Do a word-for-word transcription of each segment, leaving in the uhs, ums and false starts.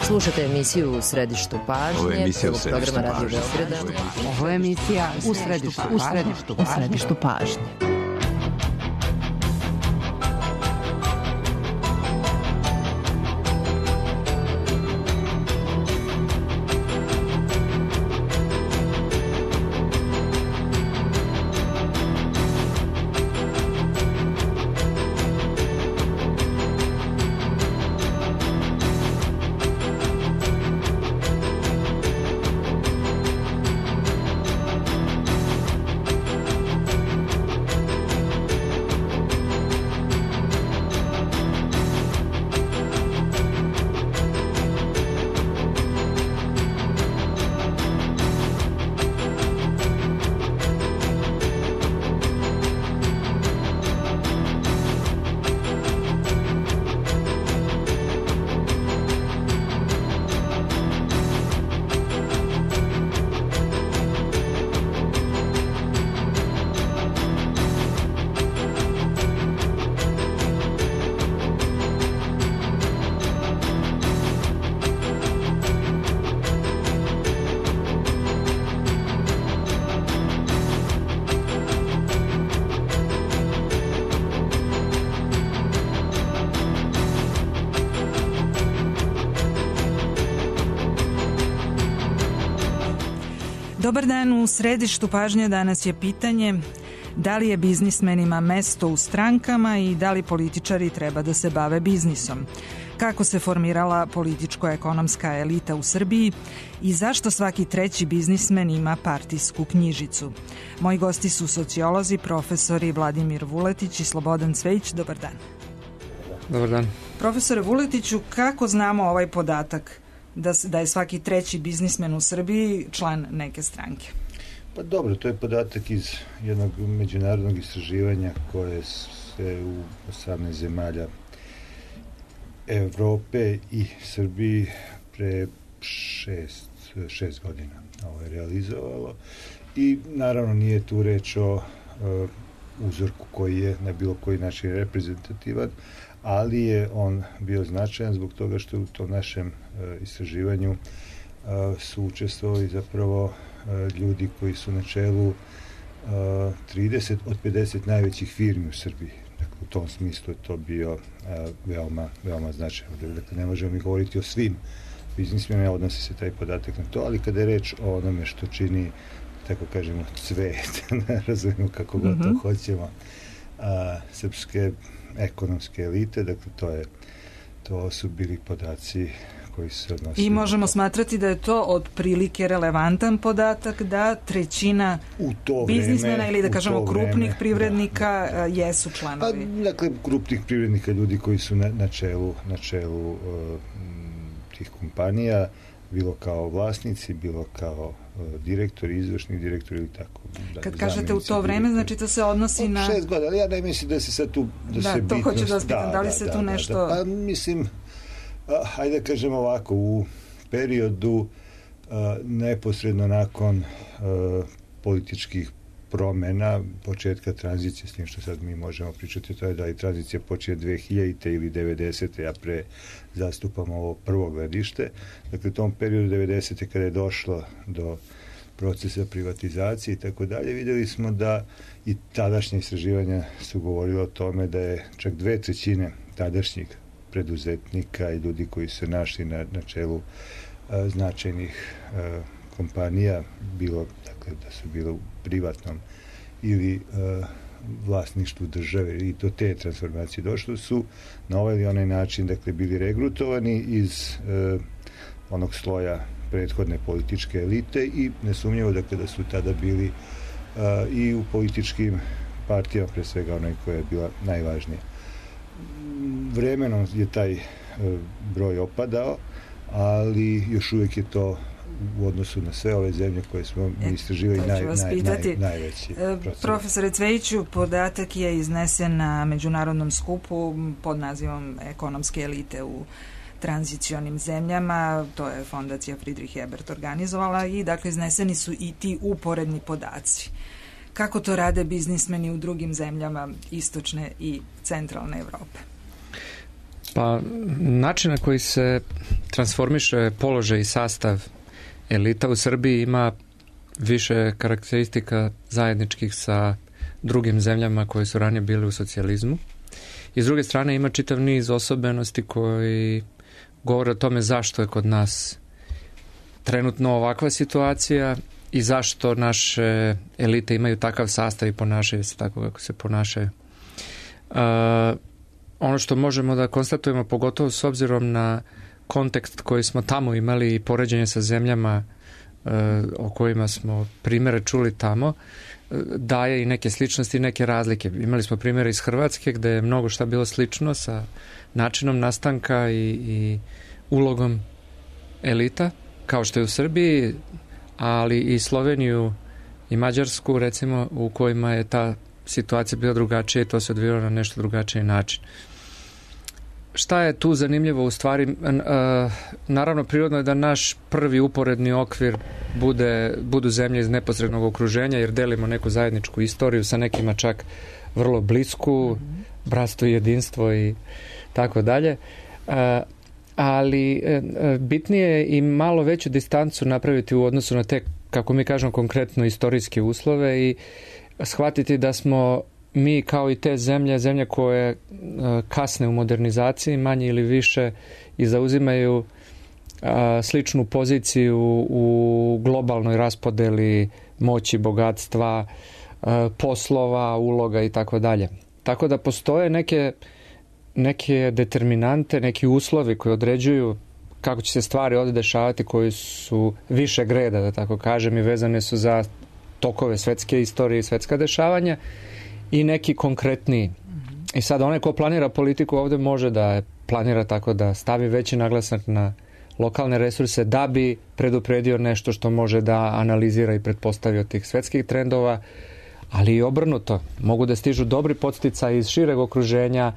Slušate emisiju U središtu pažnje. Ovo je emisija U središtu pažnje. Ovo je emisija U središtu pažnje. U središtu pažnje. Dobar dan, u središtu pažnje danas je pitanje da li je biznismenima mesto u strankama i da li političari treba da se bave biznisom. Kako se formirala političko-ekonomska elita u Srbiji i zašto svaki treći biznismen ima partijsku knjižicu. Moji gosti su sociolozi, profesori Vladimir Vuletić i Slobodan Cvejić. Dobar dan. Dobar dan. Profesore Vuletiću, kako znamo ovaj podatak da, da je svaki treći biznismen u Srbiji član neke stranke? Pa dobro, to je podatak iz jednog međunarodnog istraživanja koje se u osamnaest zemalja Evrope i Srbiji pre šest, šest godina ovo je realizovalo i naravno nije tu reč o uh, uzorku koji je na bilo koji način reprezentativan, ali je on bio značajan zbog toga što u tom našem uh, istraživanju uh, su učestvovali zapravo uh, ljudi koji su na čelu uh, trideset od pedeset najvećih firmi u Srbiji. Dakle, u tom smislu je to bio uh, veoma, veoma značajno. Dakle, ne možemo mi govoriti o svim biznismenima, odnosi se taj podatak na to, ali kada je reč o onome što čini, tako kažemo, cvet, ne razumemo kako god to mm-hmm. hoćemo, a, srpske ekonomske elite, dakle, to je to su bili podaci koji se odnosi. I možemo smatrati da je to otprilike relevantan podatak da trećina biznismena vreme, ili da kažemo krupnih vreme, privrednika da, da. jesu članovi. Pa, dakle, krupnih privrednika, ljudi koji su na, na čelu, na čelu uh, tih kompanija, bilo kao vlasnici, bilo kao uh, direktori, izvršni direktori ili tako. Da, kad kažete u to vreme, znači to se odnosi na... šest godina, ali ja ne mislim da se sad tu... Da, da se to bitnost, hoću da vas pitam, da, da li da, se da, tu da, nešto... Da, pa mislim, a, hajde da kažem ovako, u periodu a, neposredno nakon a, političkih promena, početka tranzicije, s tim što sad mi možemo pričati, to je da i tranzicija počeje dve hiljadite ili devedesete, ja pre zastupam ovo prvo gledište. Dakle, u tom periodu devedesete kada je došlo do procesa privatizacije i tako dalje, vidjeli smo da i tadašnje istraživanja su govorilo o tome da je čak dve trećine tadašnjih preduzetnika i ljudi koji su našli na, na čelu a, značajnih a, kompanija, bilo, dakle, da su bilo u privatnom ili a, vlasništvu države i do te transformacije došlo, su na ovaj ili onaj način, dakle, bili regrutovani iz a, onog sloja prethodne političke elite i nesumnjivo, dakle, da su tada bili a, i u političkim partijama, pre svega onaj koja je bila najvažnija. Vremenom je taj a, broj opadao, ali još uvijek je to u odnosu na sve ove zemlje koje smo mi istraživali naj, naj, naj, najveći proces. Profesore Cvejiću, podatak je iznesen na međunarodnom skupu pod nazivom Ekonomske elite u tranzicionim zemljama, to je fondacija Friedrich Ebert organizovala i dakle izneseni su i ti uporedni podaci. Kako to rade biznismeni u drugim zemljama istočne i centralne Evrope? Pa način na koji se transformiše položaj i sastav elita u Srbiji ima više karakteristika zajedničkih sa drugim zemljama koje su ranije bili u socijalizmu. I s druge strane ima čitav niz osobenosti koji govore o tome zašto je kod nas trenutno ovakva situacija i zašto naše elite imaju takav sastav i ponašaju se tako kako se ponašaju. Uh, ono što možemo da konstatujemo, pogotovo s obzirom na kontekst koji smo tamo imali i poređenje sa zemljama uh, o kojima smo primere čuli tamo, uh, daje i neke sličnosti i neke razlike. Imali smo primere iz Hrvatske gde je mnogo šta bilo slično sa načinom nastanka i, i ulogom elita, kao što je u Srbiji, ali i Sloveniju i Mađarsku, recimo, u kojima je ta situacija bila drugačija i to se odvijalo na nešto drugačiji način. Šta je tu zanimljivo u stvari? Naravno, prirodno je da naš prvi uporedni okvir bude, budu zemlje iz neposrednog okruženja, jer delimo neku zajedničku istoriju, sa nekima čak vrlo blisku, bratstvo i jedinstvo i tako dalje. Ali bitnije je i malo veću distancu napraviti u odnosu na te, kako mi kažemo, konkretno istorijske uslove i shvatiti da smo mi kao i te zemlje, zemlje koje kasne u modernizaciji manje ili više i zauzimaju sličnu poziciju u globalnoj raspodeli moći, bogatstva, poslova, uloga i tako dalje. Tako da postoje neke neke determinante, neki uslovi koji određuju kako će se stvari ovdje dešavati, koji su više greda, da tako kažem, i vezane su za tokove svetske istorije i svetska dešavanja i neki konkretniji. I sad onaj ko planira politiku ovdje može da je planira tako da stavi veći naglasak na lokalne resurse da bi predupredio nešto što može da analizira i pretpostavi od tih svetskih trendova, ali i obrnuto. Mogu da stižu dobri podsticaji iz šireg okruženja,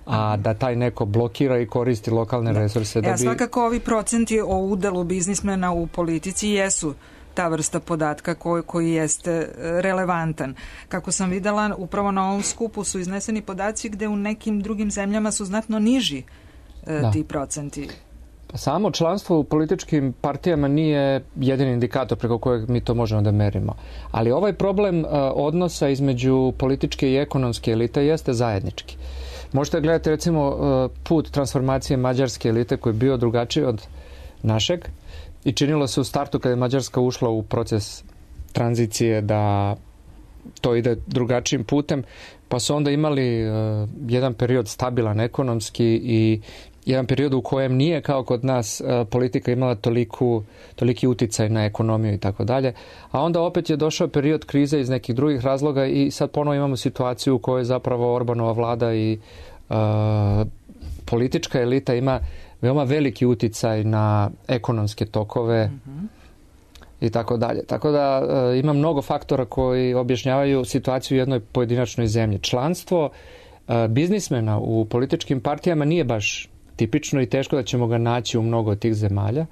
a da taj neko blokira i koristi lokalne resurse. Da ja, bi... svakako ovi procenti o udelu biznismena u politici jesu ta vrsta podatka koji, koji jeste relevantan. Kako sam videla, upravo na ovom skupu su izneseni podaci gde u nekim drugim zemljama su znatno niži e, ti procenti. Samo članstvo u političkim partijama nije jedini indikator preko kojeg mi to možemo da merimo. Ali ovaj problem uh, odnosa između političke i ekonomske elite jeste zajednički. Možete gledati recimo uh, put transformacije mađarske elite koji je bio drugačiji od našeg i činilo se u startu kada je Mađarska ušla u proces tranzicije da to ide drugačijim putem, pa su onda imali uh, jedan period stabilan ekonomski i jedan period u kojem nije kao kod nas uh, politika imala toliku, toliki uticaj na ekonomiju i tako dalje. A onda opet je došao period krize iz nekih drugih razloga i sad ponovo imamo situaciju u kojoj zapravo Orbanova vlada i uh, politička elita ima veoma veliki uticaj na ekonomske tokove mm-hmm. i tako dalje. Tako da uh, ima mnogo faktora koji objašnjavaju situaciju u jednoj pojedinačnoj zemlji. Članstvo uh, biznismena u političkim partijama nije baš tipično i teško da ćemo ga naći u mnogo tih zemalja,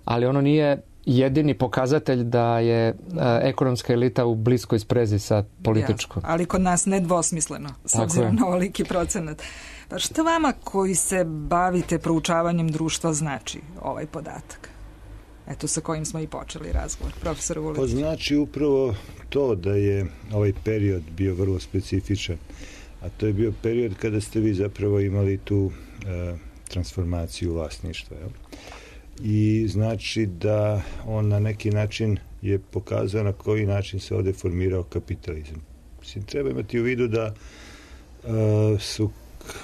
ali ono nije jedini pokazatelj da je uh, ekonomska elita u bliskoj sprezi sa političkom. Ja, ali kod nas nedvosmisleno, s obzirom na ovoliki procenat. Pa što vama koji se bavite proučavanjem društva znači ovaj podatak? Eto sa kojim smo i počeli razgovor, profesor Vuletić. Pa znači upravo to da je ovaj period bio vrlo specifičan, a to je bio period kada ste vi zapravo imali tu uh, transformaciju vlasništva. Jel? I znači da on na neki način je pokazao na koji način se ovdje formirao kapitalizam. Mislim, treba imati u vidu da uh, su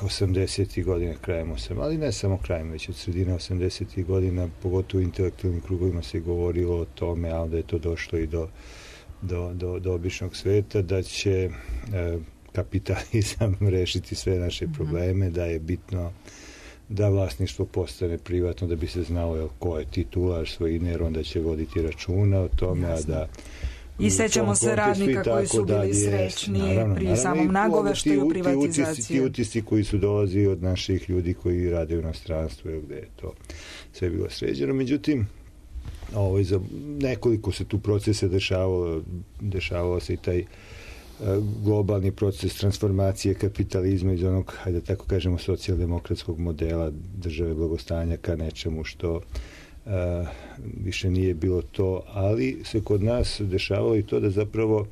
osamdesetih godina, krajem osamdesetih, ali ne samo krajem, već od sredine osamdesetih godina, pogotovo u intelektualnim krugovima se govorilo o tome, a onda je to došlo i do, do, do, do običnog sveta, da će uh, kapitalizam rešiti sve naše probleme, da je bitno da vlasništvo postane privatno, da bi se znao jel, ko je titular svojine, jer onda će voditi računa o tome, Jasne. a da i sećamo se radnika koji su bili da, srećni naravno, pri naravno, samom nagoveštaju privatizacije. Ti utisci koji su dolazili od naših ljudi koji rade u inostranstvu, gde je to sve bilo sređeno. Međutim, ovaj, za nekoliko se tu procesa dešavalo, dešavalo se i taj globalni proces transformacije kapitalizma iz onog, hajde tako kažemo, socijaldemokratskog modela države blagostanja ka nečemu što uh, više nije bilo to, ali se kod nas dešavalo i to da zapravo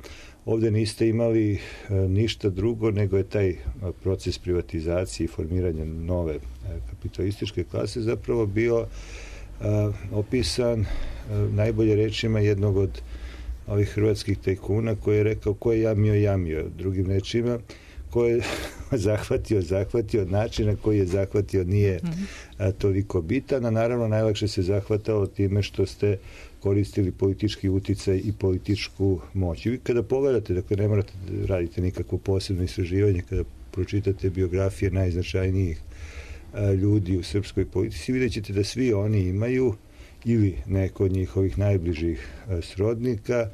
ovde niste imali uh, ništa drugo nego je taj uh, proces privatizacije i formiranja nove uh, kapitalističke klase zapravo bio uh, opisan uh, najbolje rečima jednog od ovih hrvatskih tajkuna koji je rekao ko je jamio, jamio. Drugim rečima, ko je zahvatio, zahvatio, način na koji je zahvatio nije a, toliko bitan, a naravno najlakše se zahvatalo time što ste koristili politički uticaj i političku moć. I vi kada pogledate, dakle ne morate da radite nikakvo posebno istraživanje, kada pročitate biografije najznačajnijih a, ljudi u srpskoj politici, vidjet ćete da svi oni imaju ili neko od njihovih najbližih srodnika,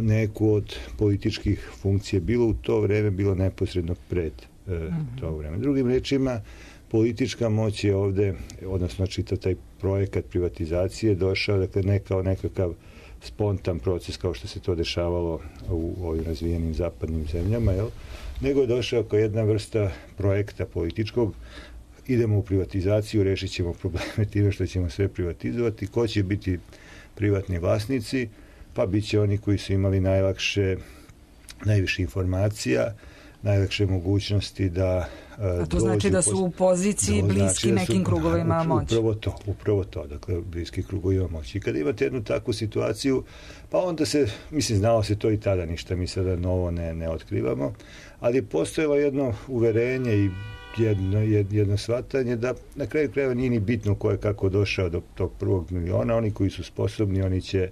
neku od političkih funkcija, bilo u to vreme, bilo neposredno pred to vreme. Drugim rečima, politička moć je ovde, odnosno čitav taj projekat privatizacije došao, dakle ne kao nekakav spontan proces kao što se to dešavalo u ovim razvijenim zapadnim zemljama, jel? Nego je došao kao jedna vrsta projekta političkog. Idemo u privatizaciju, rešit ćemo probleme time što ćemo sve privatizovati. Ko će biti privatni vlasnici? Pa bit će oni koji su imali najlakše, najviše informacija, najlakše mogućnosti da A to znači da su u poziciji bliski znači nekim krugovima moći. Upravo to, upravo to, dakle bliski krugovima moći. I kada imate jednu takvu situaciju, pa onda se, mislim, znalo se to i tada, ništa mi sada novo ne, ne otkrivamo, ali je postojalo jedno uverenje i jedno, jedno shvatanje da na kraju krajeva nije ni bitno ko je kako došao do tog prvog miliona, oni koji su sposobni, oni će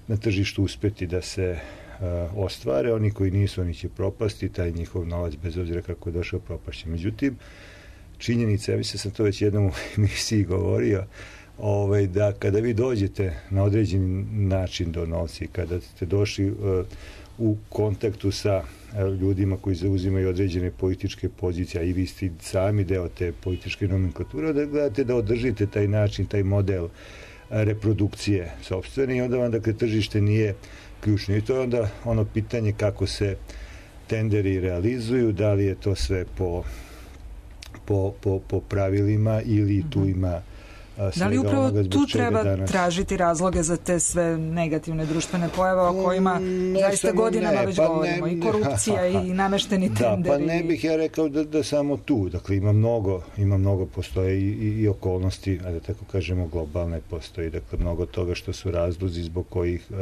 na tržištu uspeti da se uh, ostvare, oni koji nisu, oni će propasti, taj njihov novac, bez obzira kako je došao, propašće. Međutim, činjenica, ja mislim sam to već jednom u emisiji govorio, ovaj, da kada vi dođete na određeni način do novca i kada ste došli uh, u kontaktu sa ljudima koji zauzimaju određene političke pozicije, a i vi ste sami deo te političke nomenklature, da gledate da održite taj način, taj model reprodukcije sopstvene i onda vam, dakle, tržište nije ključno. I to je onda ono pitanje kako se tenderi realizuju, da li je to sve po, po, po, po pravilima ili tu ima da li upravo tu treba danas tražiti razloge za te sve negativne društvene pojave o kojima ne, zaista godinama ne, već pa govorimo, ne, i korupcija ha, ha, ha. i namešteni da, tenderi. Pa ne bih ja rekao da, da samo tu, dakle ima mnogo, ima mnogo postoje i, i, i okolnosti, a da tako kažemo globalne postoji, dakle mnogo toga što su razlozi zbog kojih uh,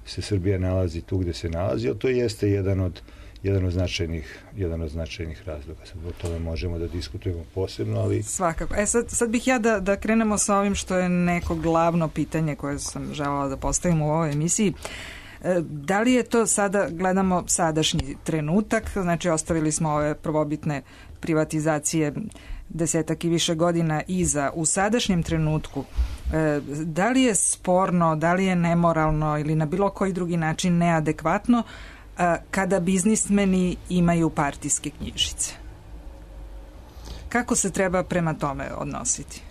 se Srbija nalazi tu gde se nalazi, ali to jeste jedan od jedan od značajnih, jedan od značajnih razloga. Sad o tome možemo da diskutujemo posebno, ali... Svakako. E sad, sad bih ja da, da krenemo sa ovim što je neko glavno pitanje koje sam želela da postavim u ovoj emisiji. E, da li je to sada, gledamo sadašnji trenutak, znači ostavili smo ove prvobitne privatizacije desetak i više godina iza, u sadašnjem trenutku, e, da li je sporno, da li je nemoralno ili na bilo koji drugi način neadekvatno kada biznismeni imaju partijske knjižice? Kako se treba prema tome odnositi?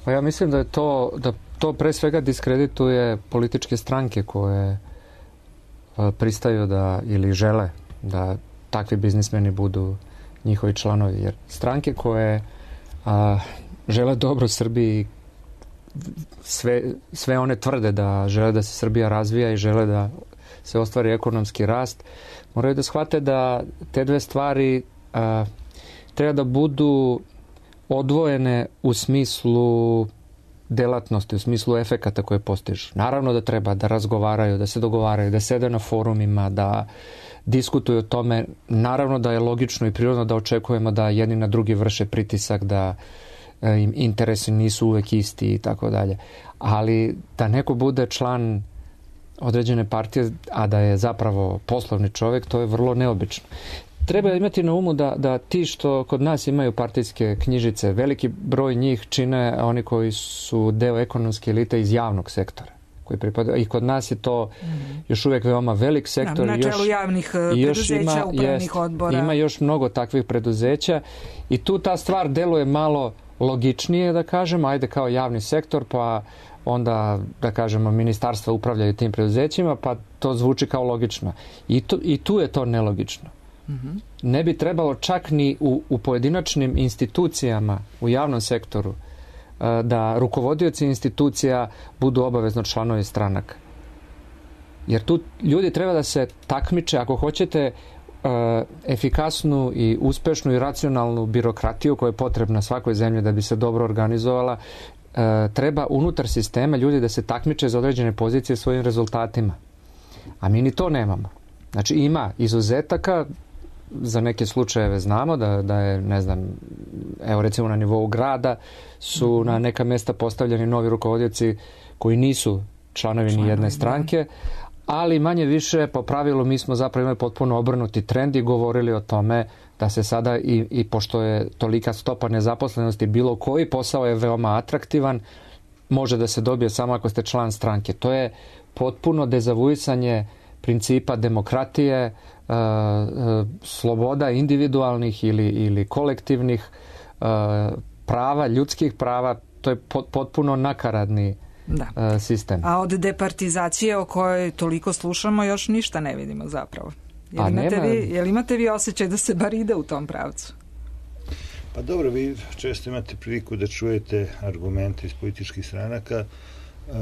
Pa ja mislim da je to, da to pre svega diskredituje političke stranke koje pristaju da ili žele da takvi biznismeni budu njihovi članovi. Jer stranke koje a, žele dobro Srbiji, sve, sve one tvrde da žele da se Srbija razvija i žele da se ostvari ekonomski rast, moraju da shvate da te dve stvari a, treba da budu odvojene u smislu delatnosti, u smislu efekata koje postižu. Naravno da treba da razgovaraju, da se dogovaraju, da sede na forumima, da diskutuju o tome. Naravno da je logično i prirodno da očekujemo da jedni na drugi vrše pritisak, da im interesi nisu uvek isti i tako dalje. Ali da neko bude član određene partije, a da je zapravo poslovni čovjek, to je vrlo neobično. Treba imati na umu da, da ti što kod nas imaju partijske knjižice, veliki broj njih čine oni koji su deo ekonomske elite iz javnog sektora. Koji pripada, i kod nas je to još uvijek veoma velik sektor. Na čelu javnih preduzeća, upravnih odbora. Ima još mnogo takvih preduzeća i tu ta stvar deluje malo logičnije da kažemo, ajde kao javni sektor, pa onda da kažemo ministarstva upravljaju tim preduzećima, pa to zvuči kao logično. I, to, i tu je to nelogično. Mm-hmm. Ne bi trebalo čak ni u, u pojedinačnim institucijama u javnom sektoru da rukovodioci institucija budu obavezno članovi stranaka. Jer tu ljudi treba da se takmiče, ako hoćete efikasnu i uspešnu i racionalnu birokratiju koja je potrebna svakoj zemlji da bi se dobro organizovala, treba unutar sistema ljudi da se takmiče za određene pozicije svojim rezultatima. A mi ni to nemamo. Znači ima izuzetaka, za neke slučajeve znamo da, da je, ne znam, evo recimo na nivou grada su na neka mesta postavljeni novi rukovodioci koji nisu članovi ni jedne stranke, ali manje više po pravilu mi smo zapravo imali potpuno obrnuti trend i govorili o tome da se sada i, i pošto je tolika stopa nezaposlenosti, bilo koji posao je veoma atraktivan, može da se dobije samo ako ste član stranke. To je potpuno dezavuisanje principa demokratije, uh, uh, sloboda individualnih ili, ili kolektivnih uh, prava, ljudskih prava. To je pot, potpuno nakaradni da. uh, sistem. A od departizacije o kojoj toliko slušamo još ništa ne vidimo zapravo. Jel imate, nema... vi, jel imate vi osjećaj da se bar ide u tom pravcu? Pa dobro, vi često imate priliku da čujete argumente iz političkih stranaka. Uh,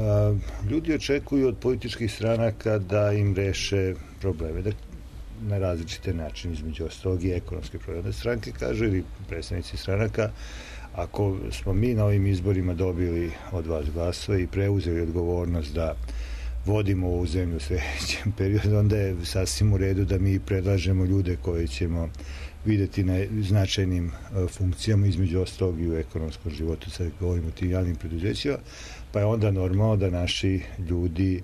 ljudi očekuju od političkih stranaka da im reše probleme, da na različite načine, između ostalog i ekonomske probleme. Stranke kažu, ili predstavnici stranaka, ako smo mi na ovim izborima dobili od vas glasove i preuzeli odgovornost da vodimo ovu zemlju u sljedećem periodu, onda je sasvim u redu da mi predlažemo ljude koje ćemo videti na značajnim uh, funkcijama, između ostalog i u ekonomskom životu, sad govorimo o tim javnim preduzećima, pa je onda normalno da naši ljudi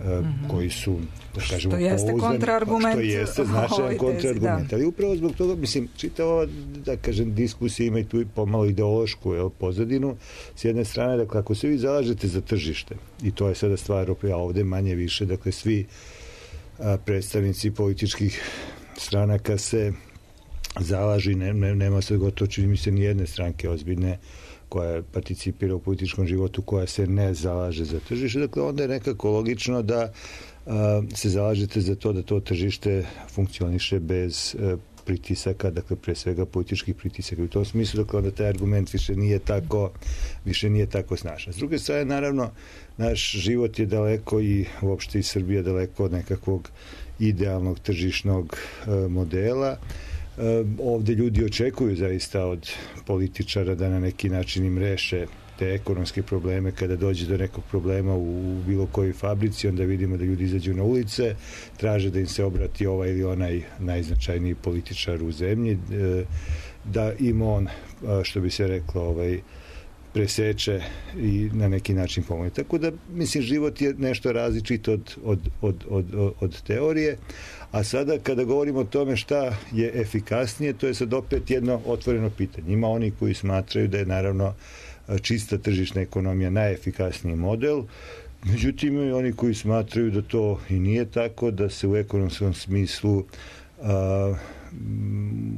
uh, mm-hmm. koji su, da kažemo, što jeste kontraargument, što jeste značajan kontraargument, ali upravo zbog toga, mislim, čitava, da kažem, diskusija ima i tu pomalo ideološku jel, pozadinu. S jedne strane, dakle, ako se vi zalažete za tržište, i to je sada stvar, a ovde manje više, dakle, svi a, predstavnici političkih stranaka se zalaži, ne, ne, nema se gotovo, čini mi se, ni jedne stranke ozbiljne koja participira u političkom životu, koja se ne zalaže za tržište. Dakle, onda je nekako logično da a, se zalažete za to da to tržište funkcioniše bez a, pritisaka, dakle, pre svega političkih pritisaka. U tom smislu, dakle, onda taj argument više nije tako, više nije tako snažan. S druge strane, naravno, naš život je daleko i uopšte i Srbija daleko od nekakvog idealnog tržišnog a, modela. Ovde ljudi očekuju zaista od političara da na neki način im reše te ekonomske probleme. Kada dođe do nekog problema u bilo kojoj fabrici, onda vidimo da ljudi izađu na ulice, traže da im se obrati ovaj ili onaj najznačajniji političar u zemlji, da im on, što bi se reklo, ovaj, preseče i na neki način pomoći. Tako da, mislim, život je nešto različito od, od, od, od, od teorije, a sada kada govorimo o tome šta je efikasnije, to je sad opet jedno otvoreno pitanje. Ima oni koji smatraju da je naravno čista tržišna ekonomija najefikasniji model, međutim i oni koji smatraju da to i nije tako, da se u ekonomskom smislu a,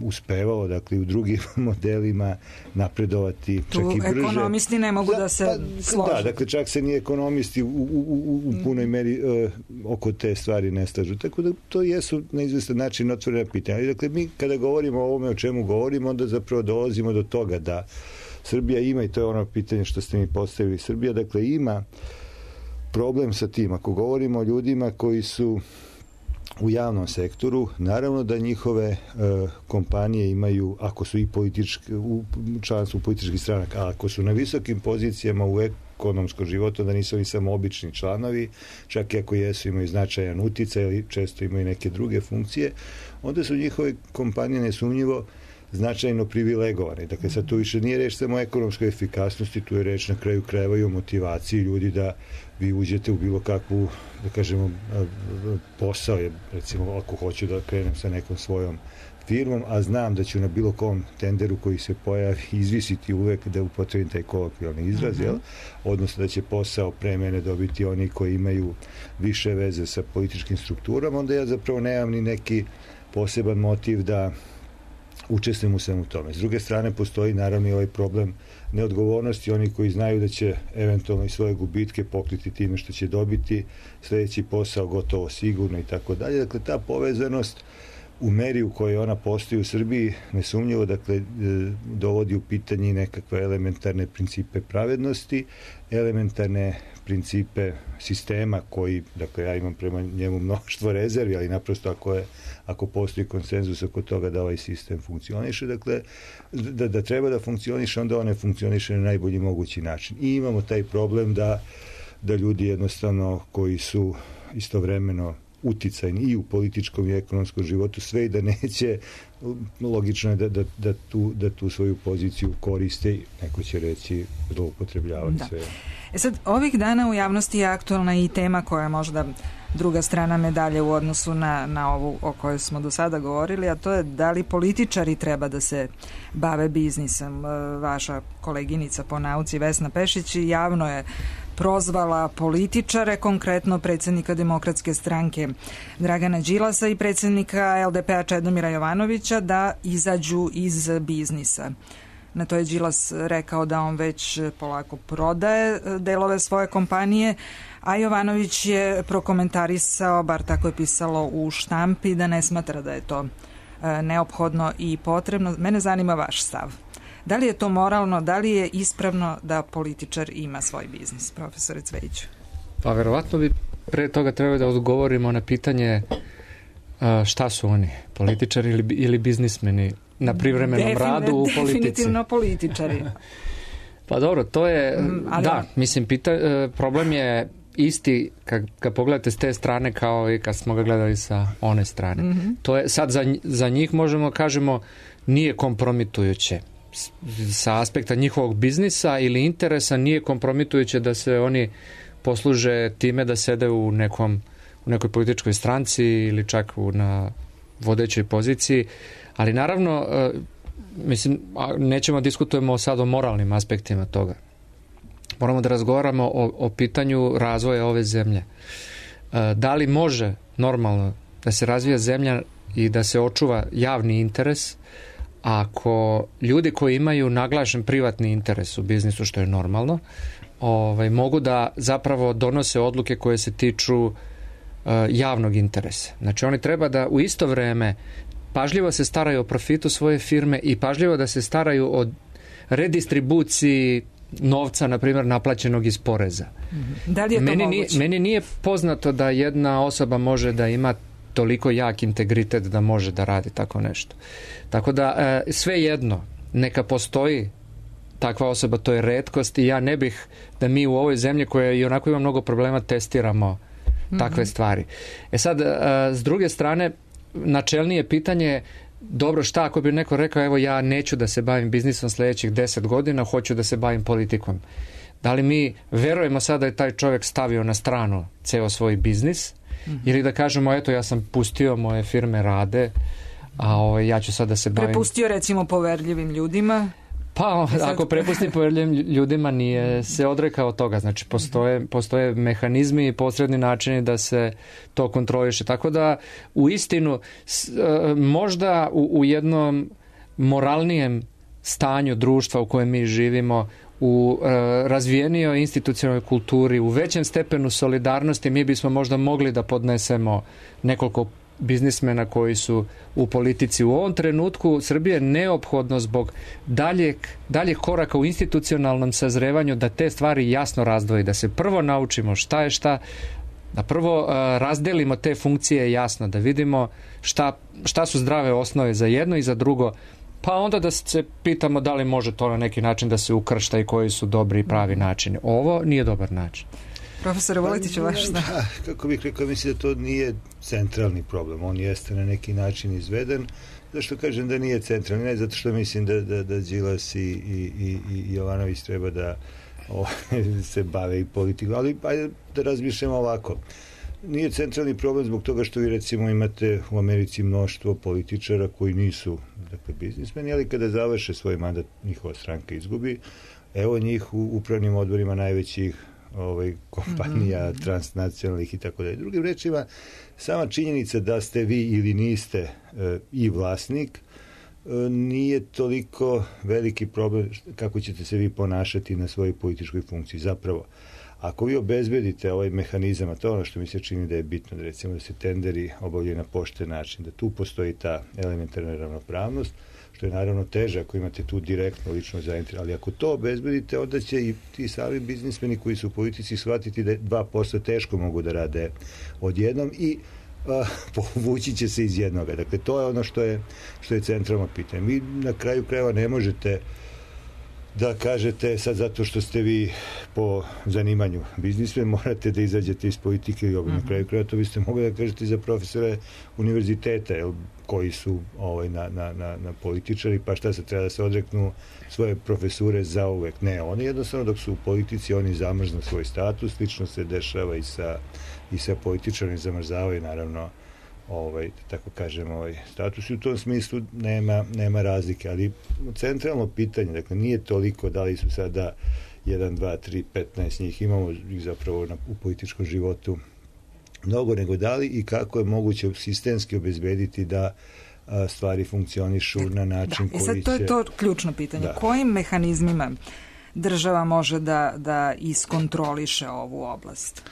uspevalo, dakle, u drugim modelima napredovati čak tu i brže. Ekonomisti ne mogu da, da se pa, slože. Da, dakle, čak se ni ekonomisti u, u, u, u punoj meri uh, oko te stvari ne slažu. Tako da to jesu na izvestan način otvorena pitanja. Ali, dakle, mi kada govorimo o ovome o čemu govorimo, onda zapravo dolazimo do toga da Srbija ima, i to je ono pitanje što ste mi postavili, Srbija, dakle, ima problem sa tim. Ako govorimo o ljudima koji su u javnom sektoru, naravno da njihove e, kompanije imaju, ako su i politički, u članstvu političkih stranaka, a ako su na visokim pozicijama u ekonomskom životu, da nisu oni samo obični članovi, čak i ako jesu, imaju značajan uticaj ili često imaju neke druge funkcije, onda su njihove kompanije nesumnjivo značajno privilegovane. Dakle, sad tu više nije reč samo o ekonomskoj efikasnosti, tu je reč na kraju krajeva i o motivaciji ljudi da vi uđete u bilo kakvu, da kažemo, posao, recimo, ako hoću da krenem sa nekom svojom firmom, a znam da ću na bilo kom tenderu koji se pojavi izvisiti uvek, da upotrebim taj kolokvijalni izraz, jel? Odnosno da će posao pre mene dobiti oni koji imaju više veze sa političkim strukturama, onda ja zapravo nemam ni neki poseban motiv da učestvujem u svemu tome. S druge strane, postoji naravno i ovaj problem neodgovornosti, oni koji znaju da će eventualno i svoje gubitke pokriti time što će dobiti sljedeći posao gotovo sigurno i tako dalje. Dakle, ta povezanost u meri u kojoj ona postoji u Srbiji nesumnjivo, dakle, dovodi u pitanje nekakve elementarne principe pravednosti, elementarne principe sistema koji, dakle, ja imam prema njemu mnoštvo rezervi, ali naprosto ako je ako postoji konsenzus oko toga da ovaj sistem funkcioniše, dakle, da, da treba da funkcioniše, onda on ne funkcioniše na najbolji mogući način. I imamo taj problem da, da ljudi jednostavno koji su istovremeno uticajni i u političkom i ekonomskom životu, sve i da neće, logično je da, da, da, tu, da tu svoju poziciju koriste i neko će reći zloupotrebljavati sve. E sad, ovih dana u javnosti je aktualna i tema koja je možda druga strana medalje u odnosu na, na ovu o kojoj smo do sada govorili, a to je da li političari treba da se bave biznisom. Vaša koleginica po nauci Vesna Pešić javno je prozvala političare, konkretno predsjednika Demokratske stranke Dragana Đilasa i predsjednika el de pe a Čedomira Jovanovića da izađu iz biznisa. Na to je Đilas rekao da on već polako prodaje delove svoje kompanije, a Jovanović je prokomentarisao, bar tako je pisalo u štampi, da ne smatra da je to neophodno i potrebno. Mene zanima vaš stav. Da li je to moralno, da li je ispravno da političar ima svoj biznis, profesore Cvejiću? Pa verovatno bi pre toga trebali da odgovorimo na pitanje šta su oni, političari ili, ili biznismeni na privremenom Defin, radu u politici. Definitivno političari. Pa dobro, to je, Ali da, on... mislim, pita, problem je isti kad, kad pogledate s te strane kao i kad smo ga gledali sa one strane. Mm-hmm. To je, sad za, za njih možemo kažemo nije kompromitujuće. Sa aspekta njihovog biznisa ili interesa nije kompromitujuće da se oni posluže time da sede u nekom u nekoj političkoj stranci ili čak u, na vodećoj poziciji, ali naravno mislim, nećemo diskutujemo sad o moralnim aspektima toga. Moramo da razgovaramo o, o pitanju razvoja ove zemlje. Da li može normalno da se razvija zemlja i da se očuva javni interes ako ljudi koji imaju naglašen privatni interes u biznisu, što je normalno, ovaj, mogu da zapravo donose odluke koje se tiču uh, javnog interesa. Znači oni treba da u isto vreme pažljivo se staraju o profitu svoje firme i pažljivo da se staraju o redistribuciji novca, na primjer, naplaćenog iz poreza. Da li je to meni moguće? Nije, meni nije poznato da jedna osoba može da ima toliko jak integritet da može da radi tako nešto. Tako da e, sve jedno, neka postoji takva osoba, to je retkost i ja ne bih da mi u ovoj zemlji koja i onako ima mnogo problema testiramo takve mm-hmm. stvari. E sad, e, s druge strane, načelnije pitanje, dobro, šta ako bi neko rekao, evo ja neću da se bavim biznisom sljedećih deset godina, hoću da se bavim politikom. Da li mi verujemo sada da je taj čovjek stavio na stranu ceo svoj biznis, mm-hmm. ili da kažemo, eto, ja sam pustio, moje firme rade, a ovaj, ja ću sad da se bavim... Prepustio recimo poverljivim ljudima? Pa, ako prepustim poverljivim ljudima, nije se odrekao toga. Znači, postoje, postoje mehanizmi i posredni načini da se to kontroliše. Tako da, u istinu, možda u, u jednom moralnijem stanju društva u kojem mi živimo, u e, razvijenijoj institucionalnoj kulturi, u većem stepenu solidarnosti, mi bismo možda mogli da podnesemo nekoliko biznismena koji su u politici. U ovom trenutku Srbije je neophodno zbog daljeg, daljeg koraka u institucionalnom sazrevanju da te stvari jasno razdvoji, da se prvo naučimo šta je šta, da prvo uh, razdelimo te funkcije jasno, da vidimo šta, šta su zdrave osnove za jedno i za drugo, pa onda da se pitamo da li može to na neki način da se ukršta i koji su dobri i pravi načini. Ovo nije dobar način. Profesore Vuletiću, vaš šta? Kako bih rekao, mislim da to nije centralni problem. On jeste na neki način izveden. Zašto kažem da nije centralni? Ne zato što mislim da, da, da Đilas i, i, i, i Jovanović treba da o, se bave i politiku. Ali ajde da razmišljamo ovako. Nije centralni problem zbog toga što vi recimo imate u Americi mnoštvo političara koji nisu, dakle, biznismeni, ali kada završe svoj mandat njihova stranka izgubi. Evo njih u upravnim odborima najvećih ovaj, kompanija, mm-hmm. transnacionalnih i tako dalje. Drugim rečima, sama činjenica da ste vi ili niste e, i vlasnik, nije toliko veliki problem kako ćete se vi ponašati na svojoj političkoj funkciji. Zapravo, ako vi obezbedite ovaj mehanizam, a to je ono što mi se čini da je bitno, da recimo da se tenderi obavljaju na pošten način, da tu postoji ta elementarna ravnopravnost, što je naravno teže ako imate tu direktno lično zainteresovanje, ali ako to obezbedite, onda će i ti sami biznismeni koji su u politici shvatiti da dva posla teško mogu da rade odjednom i a, povući će se iz jednoga. Dakle, to je ono što je, što je centralno pitanje. Vi na kraju krajeva ne možete da kažete sad zato što ste vi po zanimanju biznismen, morate da izađete iz politike i obavljaju. Na kraju krajeva to biste mogli da kažete za profesore univerziteta, jel, koji su ovaj, na, na, na, na političari, pa šta se treba da se odreknu svoje profesure za uvek. Ne, oni jednostavno dok su u politici, oni zamrznu svoj status, slično se dešava i sa, i sa političarima, zamrzavaju naravno ovaj, tako kažem, ovaj status i u tom smislu nema, nema razlike, ali centralno pitanje, dakle, nije toliko da li su sada jedan, dva, tri, petnaest njih, imamo ih zapravo na, u političkom životu mnogo, nego da li i kako je moguće sistemski obezbediti da a, stvari funkcionišu na način da, koji će... I sad to je to ključno pitanje. Da. Kojim mehanizmima država može da, da iskontroliše ovu oblast?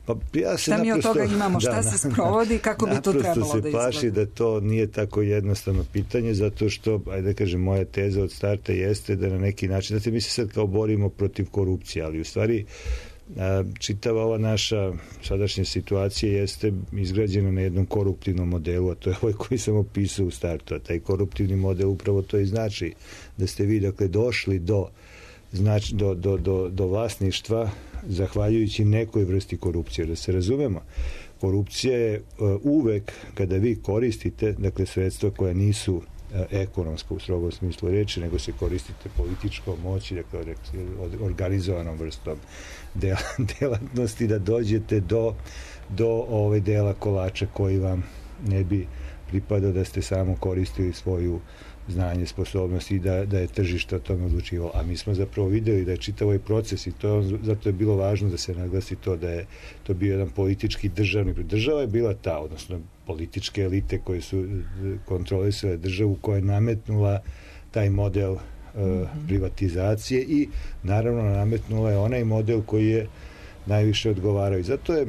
Pa ja se šta mi naprosto, od toga imamo, šta da, se sprovodi, kako bi to trebalo da izgleda? Naprosto se plaši da to nije tako jednostavno pitanje, zato što, ajde da kažem, moja teza od starta jeste da na neki način, da mi se sad kao borimo protiv korupcije, ali u stvari čitava ova naša sadašnja situacija jeste izgrađena na jednom koruptivnom modelu, a to je ovaj koji sam opisao u startu, a taj koruptivni model upravo to i znači da ste vi, dakle, došli do Znači, do, do, do, do vlasništva zahvaljujući nekoj vrsti korupcije. Da se razumemo, korupcija je uh, uvek kada vi koristite, dakle, sredstva koja nisu uh, ekonomska u strogom smislu reči, nego se koristite političkom moći, dakle, organizovanom vrstom del, delatnosti, da dođete do, do ove dela kolača koji vam ne bi pripadao da ste samo koristili svoju znanje, sposobnosti i da, da je tržište o tome odlučivalo. A mi smo zapravo videli da je čitav ovaj proces i to, zato je bilo važno da se naglasi to da je to bio jedan politički državni. Država je bila ta, odnosno političke elite koje su kontrolisale državu, koja je nametnula taj model uh, mm-hmm. privatizacije i naravno nametnula je onaj model koji je najviše odgovarao. I zato je,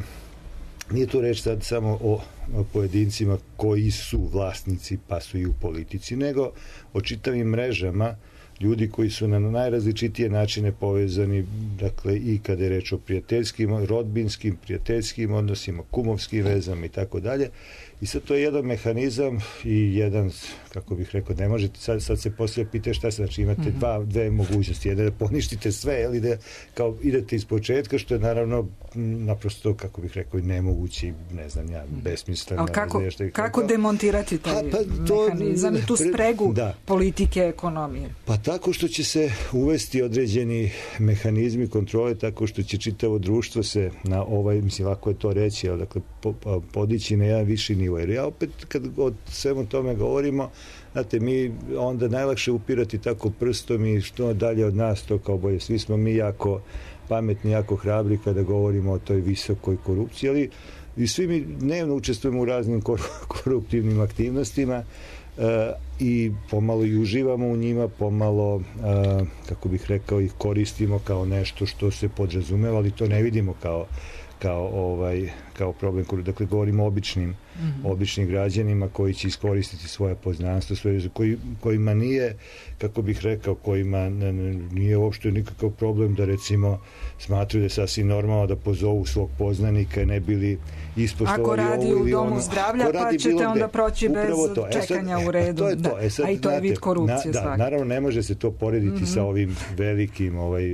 nije tu reč sad samo o pojedincima koji su vlasnici pa su i u politici, nego o čitavim mrežama ljudi koji su na najrazličitije načine povezani, dakle, i kada je reč o prijateljskim, rodbinskim, prijateljskim odnosima, kumovskim vezama i tako dalje. I sad to je jedan mehanizam i jedan, kako bih rekao, ne možete, sad, sad se poslije pita šta se, znači imate mm-hmm. dva, dve mogućnosti, jedan da poništite sve, ili da kao idete iz početka, što je naravno naprosto, kako bih rekao, i nemoguće, ne znam ja, besmisleno. Ali kako, kako demontirati taj ha, pa, to, mehanizam i tu spregu da. politike, ekonomije? Pa tako što će se uvesti određeni mehanizmi kontrole, tako što će čitavo društvo se na ovaj, mislim, lako je to reći, ali dakle, po, podići na jedan viši nivo. Jer ja opet, kad o svemu tome govorimo, znate, mi onda najlakše upirati tako prstom i što dalje od nas, to kao bolje. Svi smo mi jako pametni, jako hrabri kada govorimo o toj visokoj korupciji, ali i svi mi dnevno učestvujemo u raznim koruptivnim aktivnostima uh, i pomalo i uživamo u njima, pomalo, uh, kako bih rekao, ih koristimo kao nešto što se podrazumeva, ali to ne vidimo kao kao ovaj kao problem, dakle govorimo o običnim mm-hmm. običnim građanima koji će iskoristiti svoje poznanstvo, svoje, koji, kojima nije, kako bih rekao, kojima ne, ne, nije uopšte nikakav problem da recimo smatruju da je sasvim normalno da pozovu svog poznanika i ne bili ispostovali ako radi u domu ono, zdravlja pa ćete onda proći bez to. čekanja e sad, u redu. To je to. E sad, a i to je vid korupcije. Na, da, naravno ne može se to porediti mm-hmm. sa ovim velikim, ovaj,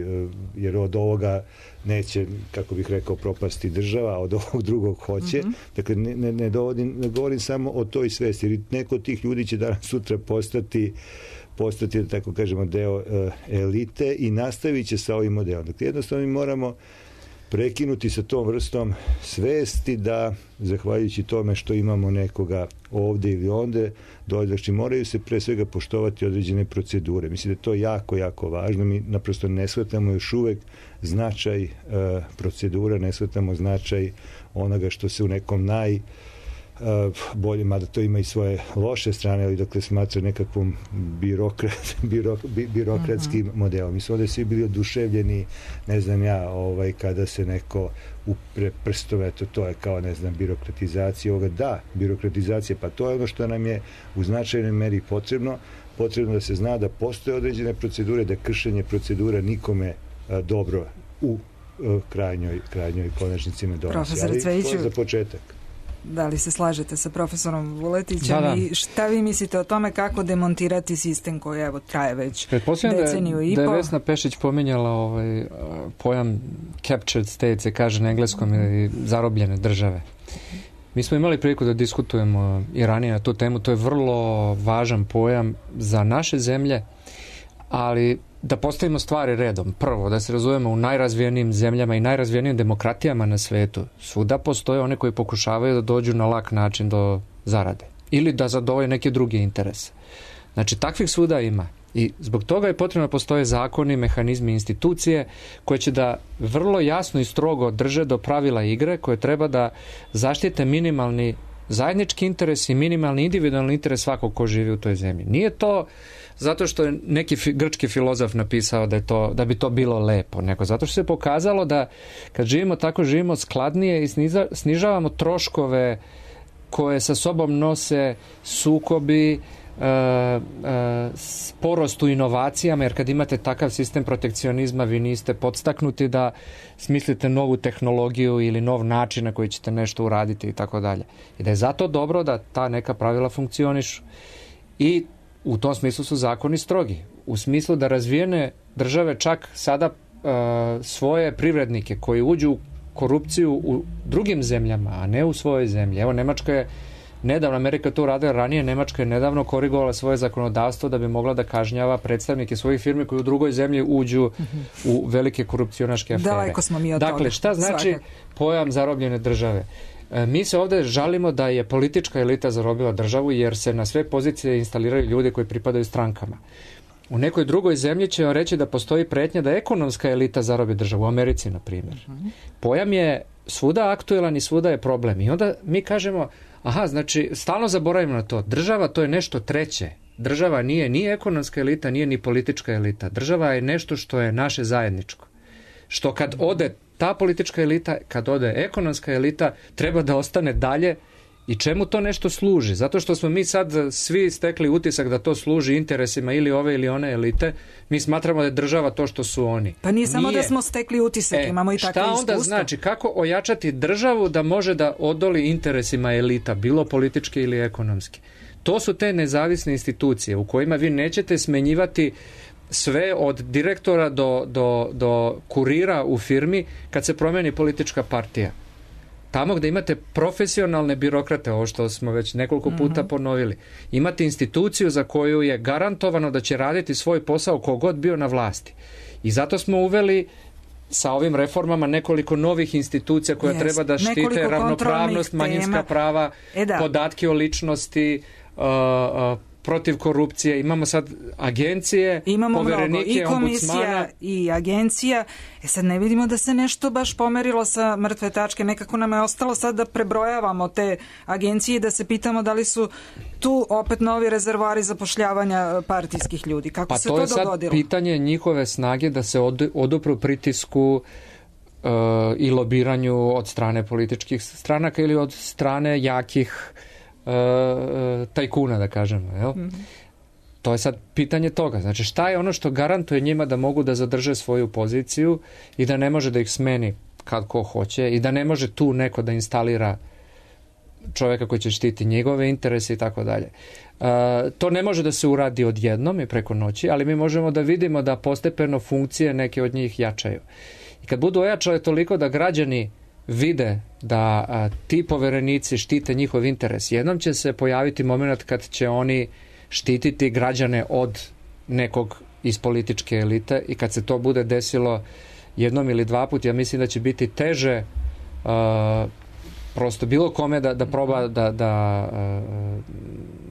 jer od ovoga neće, kako bih rekao, propasti država, a od ovog drugog hoće. Mm-hmm. Dakle, ne, ne, ne, dovodim, ne govorim samo o toj svesti, jer neko od tih ljudi će danas sutra postati postati, da tako kažemo, deo uh, elite i nastavit će sa ovim modelom. Dakle, jednostavno mi moramo prekinuti sa tom vrstom svesti da, zahvaljujući tome što imamo nekoga ovde ili onde, znači moraju se pre svega poštovati određene procedure. Mislim da je to jako, jako važno. Mi naprosto ne shvatamo još uvek značaj uh, procedura, ne shvatamo značaj onoga što se u nekom naj bolje, mada to ima i svoje loše strane, ali dokle smatra nekakvom birokrat, birok, birokratskim uh-huh. modelom. Mi smo ovde svi bili oduševljeni, ne znam ja, ovaj, kada se neko upre prstove, to, to je kao, ne znam, birokratizacija ovoga. Da, birokratizacija, pa to je ono što nam je u značajnoj meri potrebno. Potrebno da se zna da postoje određene procedure, da kršenje procedura nikome a, dobro u a, krajnjoj, krajnjoj konačnici ne donosi. Profesor Cvejiću, to je za početak. Da li se slažete sa profesorom Vuletićem da, da. i šta vi mislite o tome kako demontirati sistem koji evo traje već deceniju da, i po? Da je Vesna Pešić pominjala ovaj, pojam captured state, se kaže na engleskom, ili zarobljene države. Mi smo imali priliku da diskutujemo i ranije na tu temu, to je vrlo važan pojam za naše zemlje, ali da postavimo stvari redom. Prvo, da se razumemo, u najrazvijenijim zemljama i najrazvijenijim demokratijama na svetu svuda postoje one koji pokušavaju da dođu na lak način do zarade ili da zadovolje neke druge interese. Znači, takvih svuda ima. I zbog toga je potrebno da postoje zakoni, mehanizmi, institucije koje će da vrlo jasno i strogo drže do pravila igre, koje treba da zaštite minimalni zajednički interes i minimalni individualni interes svakog ko živi u toj zemlji. Nije to zato što je neki fi, grčki filozof napisao da, je to, da bi to bilo lepo, nego zato što se pokazalo da kad živimo tako, živimo skladnije i sniza, snižavamo troškove koje sa sobom nose sukobi, Uh, uh, sporost u inovacijama, jer kad imate takav sistem protekcionizma, vi niste podstaknuti da smislite novu tehnologiju ili nov način na koji ćete nešto uraditi i tako dalje. I da je zato dobro da ta neka pravila funkcionišu. I u tom smislu su zakoni strogi. U smislu da razvijene države čak sada uh, svoje privrednike koji uđu u korupciju u drugim zemljama, a ne u svojoj zemlji. Evo, Nemačka je nedavno, Amerika to uradila ranije, Nemačka je nedavno korigovala svoje zakonodavstvo da bi mogla da kažnjava predstavnike svojih firmi koji u drugoj zemlji uđu mm-hmm. u velike korupcionaške afere. Daleko smo mi od toga. Dakle, šta znači Svakak. pojam zarobljene države? E, mi se ovde žalimo da je politička elita zarobila državu jer se na sve pozicije instaliraju ljudi koji pripadaju strankama. U nekoj drugoj zemlji će vam reći da postoji pretnja da ekonomska elita zarobi državu, u Americi, na primjer. Mm-hmm. Pojam je svuda aktuelan i svuda je problem. I onda mi kažemo, aha, znači, stalno zaboravimo na to. Država to je nešto treće. Država nije ni ekonomska elita, nije ni politička elita. Država je nešto što je naše zajedničko. Što kad ode ta politička elita, kad ode ekonomska elita, treba da ostane dalje. I čemu to nešto služi? Zato što smo mi sad svi stekli utisak da to služi interesima ili ove ili one elite. Mi smatramo da je država to što su oni. Pa nije samo nije. Da smo stekli utisak, e, imamo i takve iskustva. Šta onda znači? Kako ojačati državu da može da odoli interesima elita, bilo političke ili ekonomske? To su te nezavisne institucije u kojima vi nećete smenjivati sve od direktora do, do, do kurira u firmi kad se promeni politička partija. Tamo gde imate profesionalne birokrate, ovo što smo već nekoliko puta mm-hmm. ponovili, imate instituciju za koju je garantovano da će raditi svoj posao kogod bio na vlasti. I zato smo uveli sa ovim reformama nekoliko novih institucija koje yes. treba da štite nekoliko ravnopravnost, manjinska prava, e da. podatke o ličnosti, uh, uh, protiv korupcije, imamo sad agencije, imamo poverenike, mnogo, i komisija ombudsmana. I agencija. E sad ne vidimo da se nešto baš pomerilo sa mrtve tačke, nekako nam je ostalo sad da prebrojavamo te agencije i da se pitamo da li su tu opet novi rezervoari zapošljavanja partijskih ljudi. Kako pa se to, to je dogodilo? Pa to je sad pitanje njihove snage da se od, odupru pritisku uh, i lobiranju od strane političkih stranaka ili od strane jakih Uh, tajkuna, da kažemo, jel? Mm-hmm. To je sad pitanje toga. Znači, šta je ono što garantuje njima da mogu da zadrže svoju poziciju i da ne može da ih smeni kad ko hoće i da ne može tu neko da instalira čovjeka koji će štiti njegove interese i tako dalje. To ne može da se uradi odjednom i preko noći, ali mi možemo da vidimo da postepeno funkcije neke od njih jačaju. I kad budu ojačale toliko da građani vide da a, ti poverenici štite njihov interes, jednom će se pojaviti moment kad će oni štititi građane od nekog iz političke elite i kad se to bude desilo jednom ili dva put, ja mislim da će biti teže a, prosto bilo kome da, da proba da, da a,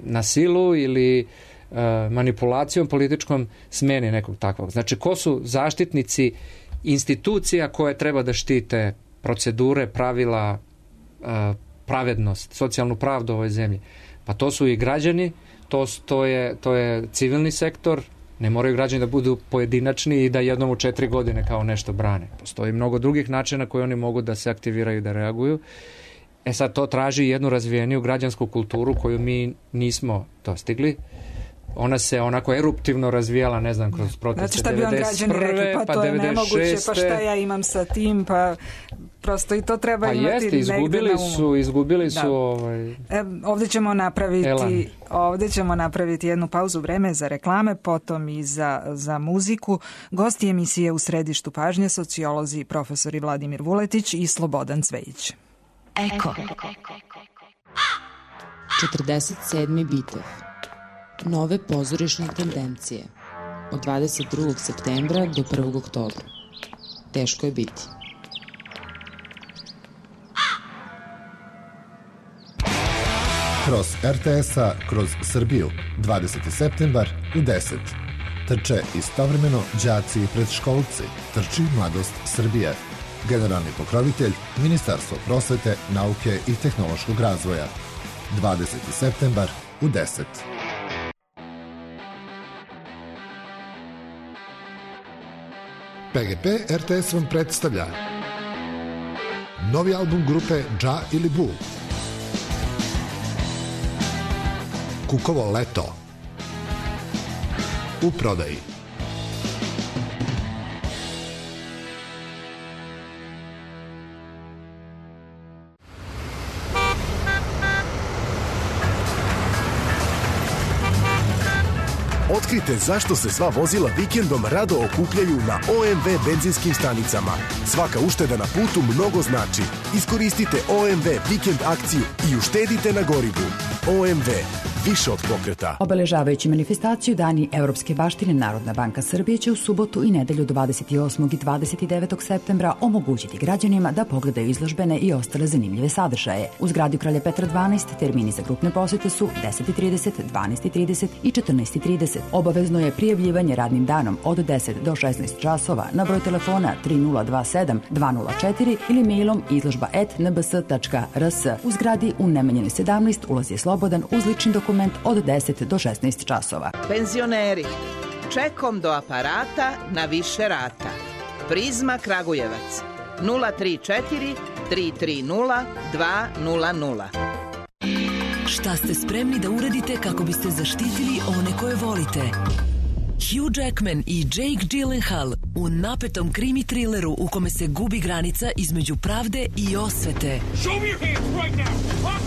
na silu ili a, manipulacijom političkom smeni nekog takvog. Znači, ko su zaštitnici institucija koje treba da štite procedure, pravila, pravednost, socijalnu pravdu u ovoj zemlji. Pa to su i građani, to, to, je, to je civilni sektor, ne moraju građani da budu pojedinačni i da jednom u četiri godine kao nešto brane. Postoji mnogo drugih načina koji oni mogu da se aktiviraju i da reaguju. E sad to traži jednu razvijeniju građansku kulturu koju mi nismo dostigli. Ona se onako eruptivno razvijala, ne znam, kroz proteste znači, devedeset prve, rekli, pa, pa to je nemoguće, pa šta ja imam sa tim, pa prosto i to treba pa imati jeste, negde izgubili na umu. su, izgubili da. su ovaj... E, ovdje ćemo napraviti Elan. ovdje ćemo napraviti jednu pauzu, vreme za reklame, potom i za, za muziku. Gosti emisije U središtu pažnje, sociolozi profesori Vladimir Vuletić i Slobodan Cvejić. Eko. četrdeset sedmi bitev. Nove pozorišne tendencije. Od dvadeset drugog septembra do prvog oktobra. Teško je biti. Kroz er te es-a, kroz Srbiju, dvadeseti septembar u deset. Trče istovremeno đaci i predškolci. Trči Mladost Srbije. Generalni pokrovitelj Ministarstvo prosvete, nauke i tehnološkog razvoja. dvadeseti septembar u deset. Pe ge pe er te es vam predstavlja novi album grupe Dža ili Bu. Kukovo leto. U prodaji. Otkrite zašto se sva vozila vikendom rado okupljaju na o em ve benzinskim stanicama. Svaka ušteda na putu mnogo znači. Iskoristite o em ve vikend akciju i uštedite na gorivu. o em ve. Više od pokreta. Obeležavajući manifestaciju Dani Evropske baštine, Narodna banka Srbije će u subotu i nedelju dvadeset osmog i dvadeset devetog septembra omogućiti građanima da pogledaju izložbene i ostale zanimljive sadržaje. U zgradi Kralja Petra dvanaest termini za grupne posete su deset i trideset, dvanaest i trideset i četrnaest i trideset. Obavezno je prijavljivanje radnim danom od deset do šesnaest časova na broj telefona tri nula dva sedam dva nula četiri ili mailom izložba et en be es tačka er es. U zgradi u Nemanjinoj sedamnaest ulaz je slobodan uz lični dokument od deset do šesnaest časova. Penzioneri, čekom do aparata na više rata. Prizma Kragujevac nula tri četiri tri tri nula dva nula nula. Šta ste spremni da uradite kako biste zaštitili one koje volite? Hugh Jackman i Jake Gyllenhaal u napetom krimi trileru u kome se gubi granica između pravde i osvete. Right,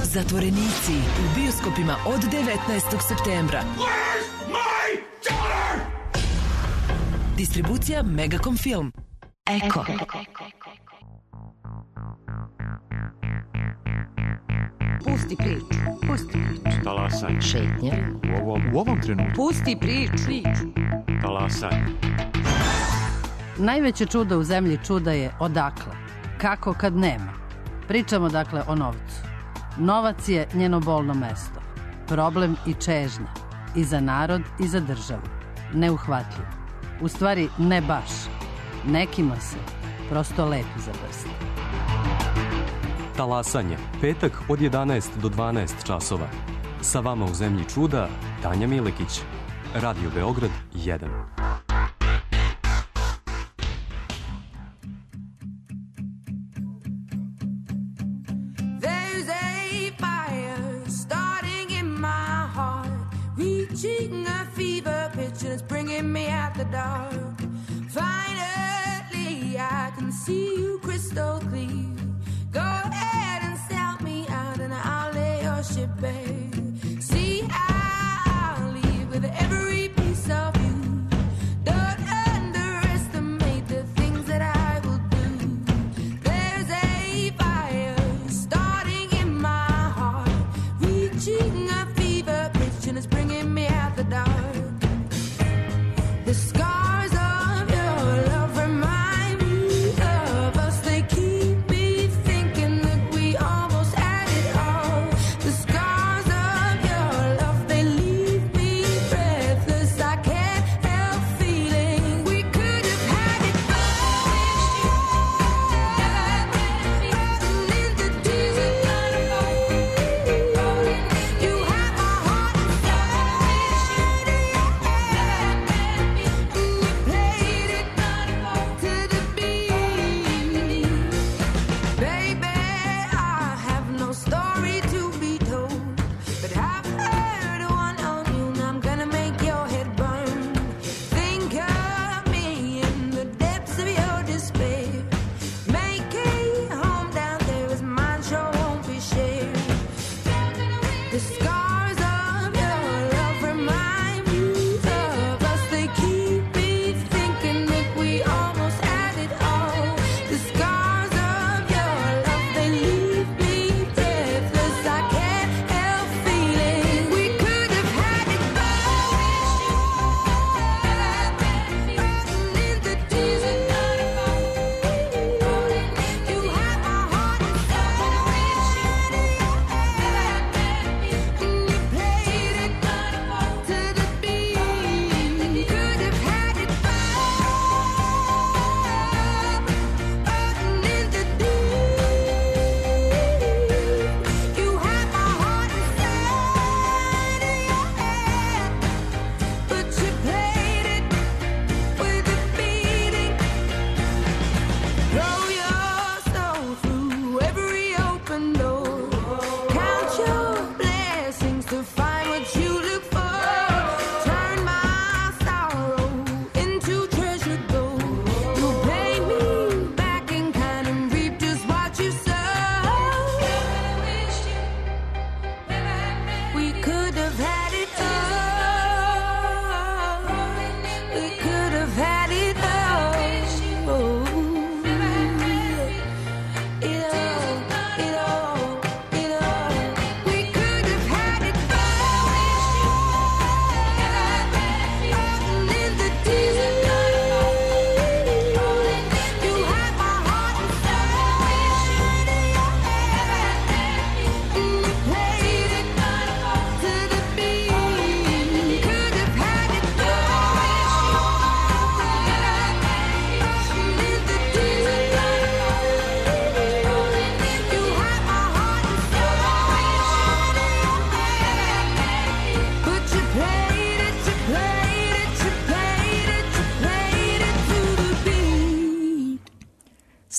zatvorenici u bioskopima od devetnaestog septembra. Distribucija Megacom Film. Eko. Pusti priču, pusti priču. Talasaj. Šetnja. U ovom, u ovom trenutku. Pusti priču. Talasaj. Najveće čudo u zemlji čuda je odakle. Kako kad nema. Pričamo dakle o novcu. Novac je njeno bolno mesto. Problem i čežnja. I za narod i za državu. Neuhvatljiv. U stvari ne baš. Nekima se prosto lepi za prst. Talasanje, petak od jedanaest do dvanaest časova. Sa vama u zemlji čuda, Tanja Milekić. Radio Beograd jedan. There's a fire starting in my heart, reaching a fever pitch and it's bringing me out the dark. Finally, I can see you crystal clear. Go ahead and sell me out and I'll lay your ship bare. See, I'll leave with every piece of you. Don't underestimate the things that I will do. There's a fire starting in my heart, reaching a fever pitch and it's bringing me out the dark. The scars of your love remind me of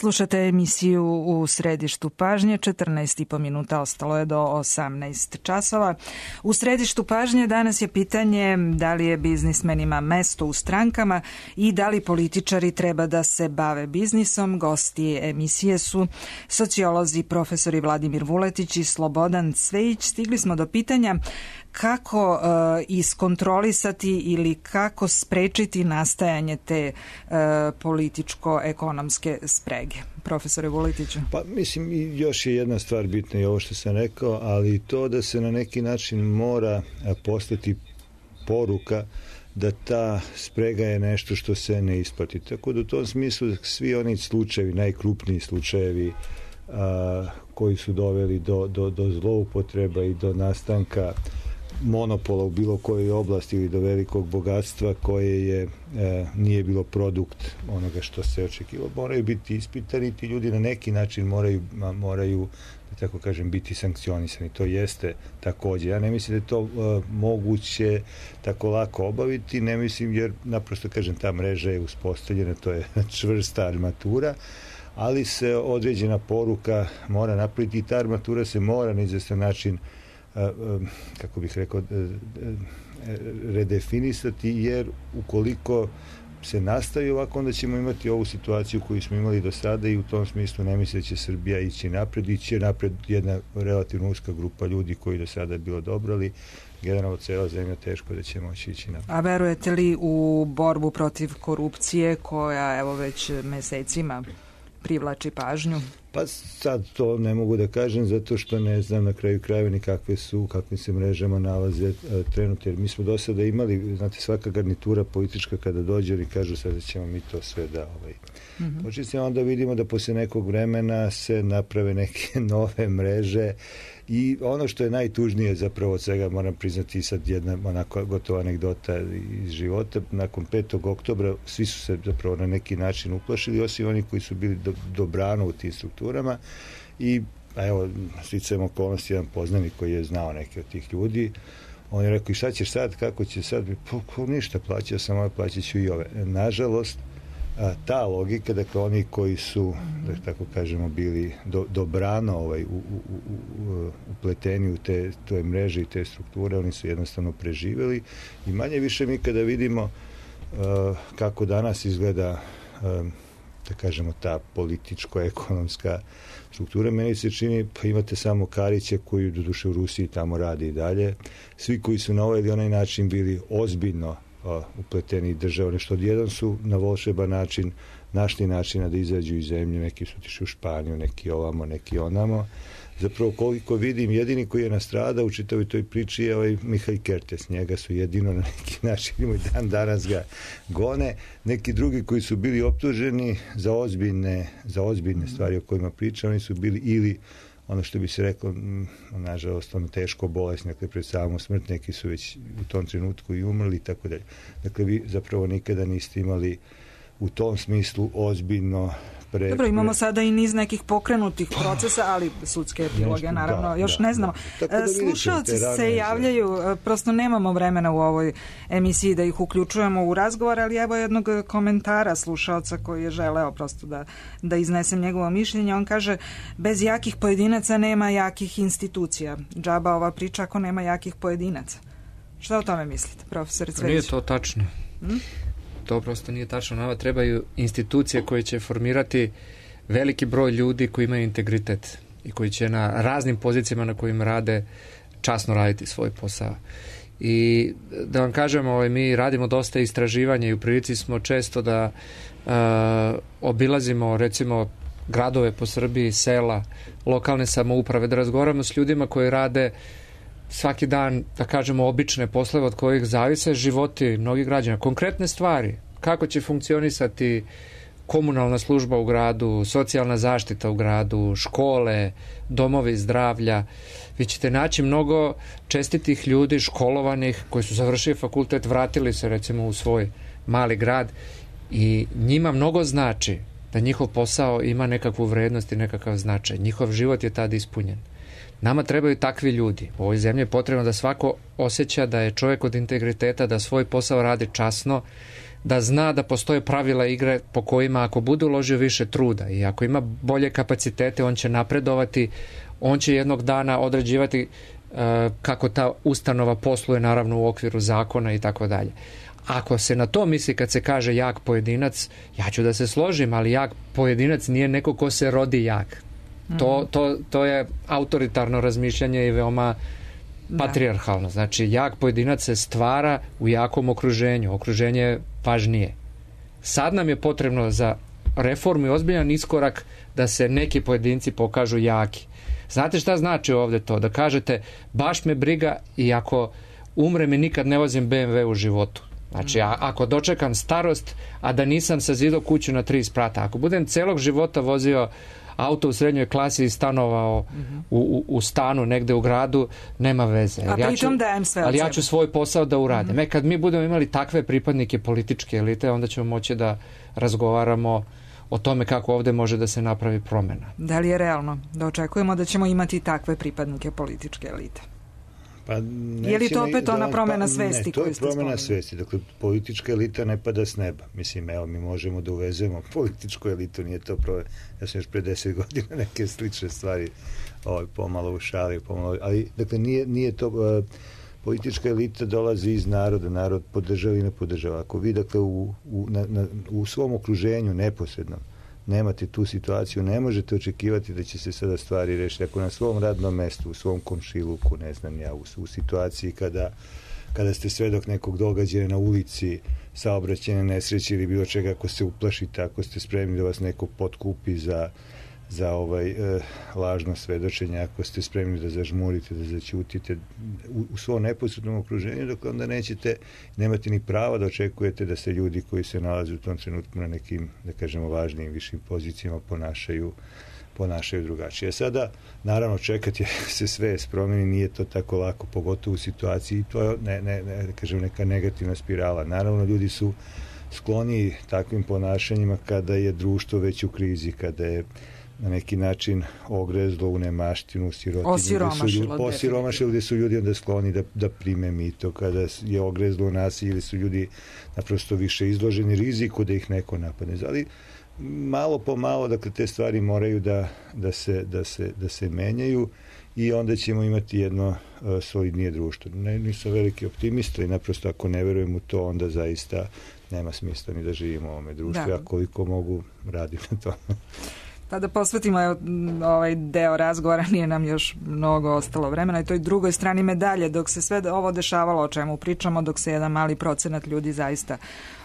Slušate emisiju U središtu pažnje, četrnaest i po minuta, ostalo je do osamnaest časova. U središtu pažnje danas je pitanje da li je biznismenima mesto u strankama i da li političari treba da se bave biznisom. Gosti emisije su sociolozi profesori Vladimir Vuletić i Slobodan Cvejić. Stigli smo do pitanja kako uh, iskontrolisati ili kako sprečiti nastajanje te uh, političko-ekonomske sprege. Profesore Vuletiću. Pa mislim, još je jedna stvar bitna i ovo što sam rekao, ali to da se na neki način mora postati poruka da ta sprega je nešto što se ne isplati. Tako da u tom smislu svi oni slučajevi, najkrupniji slučajevi a, koji su doveli do, do, do zloupotreba i do nastanka monopola u bilo kojoj oblasti ili do velikog bogatstva koje je e, nije bilo produkt onoga što se očekivalo, moraju biti ispitani, ti ljudi na neki način moraju, moraju da tako kažem, biti sankcionisani. To jeste takođe. Ja ne mislim da je to e, moguće tako lako obaviti, ne mislim, jer naprosto kažem, ta mreža je uspostavljena, to je čvrsta armatura, ali se određena poruka mora napraviti i ta armatura se mora na izvestan način, kako bih rekao, redefinisati, jer ukoliko se nastavi ovako, onda ćemo imati ovu situaciju koju smo imali do sada i u tom smislu ne misle da će Srbija ići napred, ići napred jedna relativno uska grupa ljudi koji do sada je bilo dobro, ali generalno cela zemlja teško da će moći ići napred. A verujete li u borbu protiv korupcije koja evo već mesecima privlači pažnju? Pa sad to ne mogu da kažem zato što ne znam na kraju krajeva ni kakve su, kakvim se mrežama nalaze e, trenutno, jer mi smo do sada imali, znate, svaka garnitura politička kada dođe i kažu sada ćemo mi to sve da ovaj, mm-hmm. počistimo, onda vidimo da posle nekog vremena se naprave neke nove mreže i ono što je najtužnije zapravo od svega, moram priznati sad jedna onako gotova anegdota iz života, nakon petog oktobra svi su se zapravo na neki način uplašili, osim oni koji su bili do, dobrano u tim strukturama i a evo, sticajem okolnosti, jedan poznanik koji je znao neke od tih ljudi, on je rekao, i šta ćeš sad, kako će sad, pa ništa, plaćao sam ove, plaćat ću i ove. Nažalost, a, ta logika, dakle oni koji su, da tako kažemo, bili do, dobrano ovaj, u, u, u, upleteni u te, te mreže i te strukture, oni su jednostavno preživeli i manje više mi kada vidimo a, kako danas izgleda a, da kažemo ta političko-ekonomska struktura, meni se čini, pa imate samo Karića koji doduše u Rusiji tamo radi i dalje, svi koji su na ovaj ili onaj način bili ozbiljno o, upleteni država, nešto odjedan su na volšeban način našli načina da izađu iz zemlje, neki su otišli u Španiju, neki ovamo, neki onamo. Zapravo koliko vidim, jedini koji je nastradao u čitavoj toj priči je ovaj Mihaj Kertes, njega su jedino na neki način i dan danas ga gone. Neki drugi koji su bili optuženi za ozbiljne, za ozbiljne stvari o kojima pričam, oni su bili ili ono što bi se reklo, nažalost, ono teško bolesni, dakle pred samom smrt, neki su već u tom trenutku i umrli i tako dalje. Dakle, vi zapravo nikada niste imali u tom smislu ozbiljno pre... Dobro, imamo sada i niz nekih pokrenutih procesa, ali sudske epiloge, naravno, da, još da, ne znamo. Da. Da slušalci se javljaju, prosto nemamo vremena u ovoj emisiji da ih uključujemo u razgovor, ali evo jednog komentara slušalca koji je želeo prosto da, da iznesem njegovo mišljenje. On kaže, bez jakih pojedinaca nema jakih institucija. Džaba ova priča ako nema jakih pojedinaca. Šta o tome mislite, profesor Cvejić? Nije to tačno. Hmm? To prosto nije tačno. Nama trebaju institucije koje će formirati veliki broj ljudi koji imaju integritet i koji će na raznim pozicijama na kojim rade časno raditi svoj posao. I da vam kažem, ovaj, mi radimo dosta istraživanja i u prilici smo često da uh, obilazimo recimo gradove po Srbiji, sela, lokalne samouprave, da razgovaramo s ljudima koji rade svaki dan, da kažemo, obične poslove od kojih zavise životi mnogih građana. Konkretne stvari, kako će funkcionisati komunalna služba u gradu, socijalna zaštita u gradu, škole, domovi zdravlja. Vi ćete naći mnogo čestitih ljudi, školovanih, koji su završili fakultet, vratili se recimo u svoj mali grad i njima mnogo znači da njihov posao ima nekakvu vrednost i nekakav značaj. Njihov život je tad ispunjen. Nama trebaju takvi ljudi. U ovoj zemlji je potrebno da svako osjeća da je čovjek od integriteta, da svoj posao radi časno, da zna da postoje pravila igre po kojima ako bude uložio više truda i ako ima bolje kapacitete, on će napredovati, on će jednog dana određivati uh, kako ta ustanova posluje, naravno u okviru zakona i tako dalje. Ako se na to misli kad se kaže jak pojedinac, ja ću da se složim, ali jak pojedinac nije neko ko se rodi jak. To, to, to je autoritarno razmišljanje i veoma patrijarhalno. Znači, jak pojedinac se stvara u jakom okruženju. Okruženje je važnije. Sad nam je potrebno za reformu i ozbiljan iskorak da se neki pojedinci pokažu jaki. Znate šta znači ovde to? Da kažete, baš me briga i ako umrem i nikad ne vozim be em ve u životu. Znači, a, ako dočekam starost, a da nisam sazidao kuću na tri sprata, ako budem celog života vozio auto u srednjoj klasi i stanovao mm-hmm. u, u, u stanu negde u gradu, nema veze. A pritom dajem sve od Ali sebe. ja ću svoj posao da uradim. Mm-hmm. E, kad mi budemo imali takve pripadnike političke elite, onda ćemo moći da razgovaramo o tome kako ovde može da se napravi promena. Da li je realno da očekujemo da ćemo imati takve pripadnike političke elite? Pa je li to opet ona promjena pa, svesti? Ne, to je promjena svesti. Dakle, politička elita ne pada s neba. Mislim, evo, mi možemo da uvezemo političku elitu, nije to promjena. Ja sam još pre deset godina neke slične stvari ovaj, pomalo u šali, pomalo, ali, dakle, nije, nije to... Uh, politička elita dolazi iz naroda, narod podržava i ne podržava. Ako vi, dakle, u, u, na, na, u svom okruženju neposredno nemate tu situaciju, ne možete očekivati da će se sada stvari rešiti. Ako na svom radnom mestu, u svom komšiluku, ne znam ja, u, u situaciji kada, kada ste svedok nekog događaja na ulici, saobraćajne nesreće ili bilo čega, ako se uplašite, ako ste spremni da vas neko potkupi za, za ovaj e, lažno svedočenje, ako ste spremni da zažmurite, da zaćutite u, u svom neposrednom okruženju, dok onda nećete, nemate ni prava da očekujete da se ljudi koji se nalaze u tom trenutku na nekim, da kažemo, važnijim, višim pozicijama ponašaju ponašaju drugačije. Sada, naravno, čekati se sve promeni, nije to tako lako, pogotovo u situaciji, to je ne, ne, ne, da kažem, neka negativna spirala. Naravno, ljudi su skloni takvim ponašanjima kada je društvo već u krizi, kada je na neki način ogrezlo u nemaštinu, sirotinju, osiromašilo, osiromašilo, gde su ljudi onda skloni da, da prime mito, kada je ogrezlo u nasilje, ili su ljudi naprosto više izloženi riziku da ih neko napadne. Ali malo po malo, dakle, te stvari moraju da, da, se, da, se, da se menjaju i onda ćemo imati jedno uh, solidnije društvo. Ne, nisam veliki optimista i naprosto ako ne verujem u to, onda zaista nema smisla ni da živimo u ovome društvu. Da. Ja koliko mogu radim na tome. Pa da posvetimo ovaj deo razgovora, nije nam još mnogo ostalo vremena i toj drugoj strani medalje, dok se sve ovo dešavalo o čemu pričamo, dok se jedan mali procenat ljudi zaista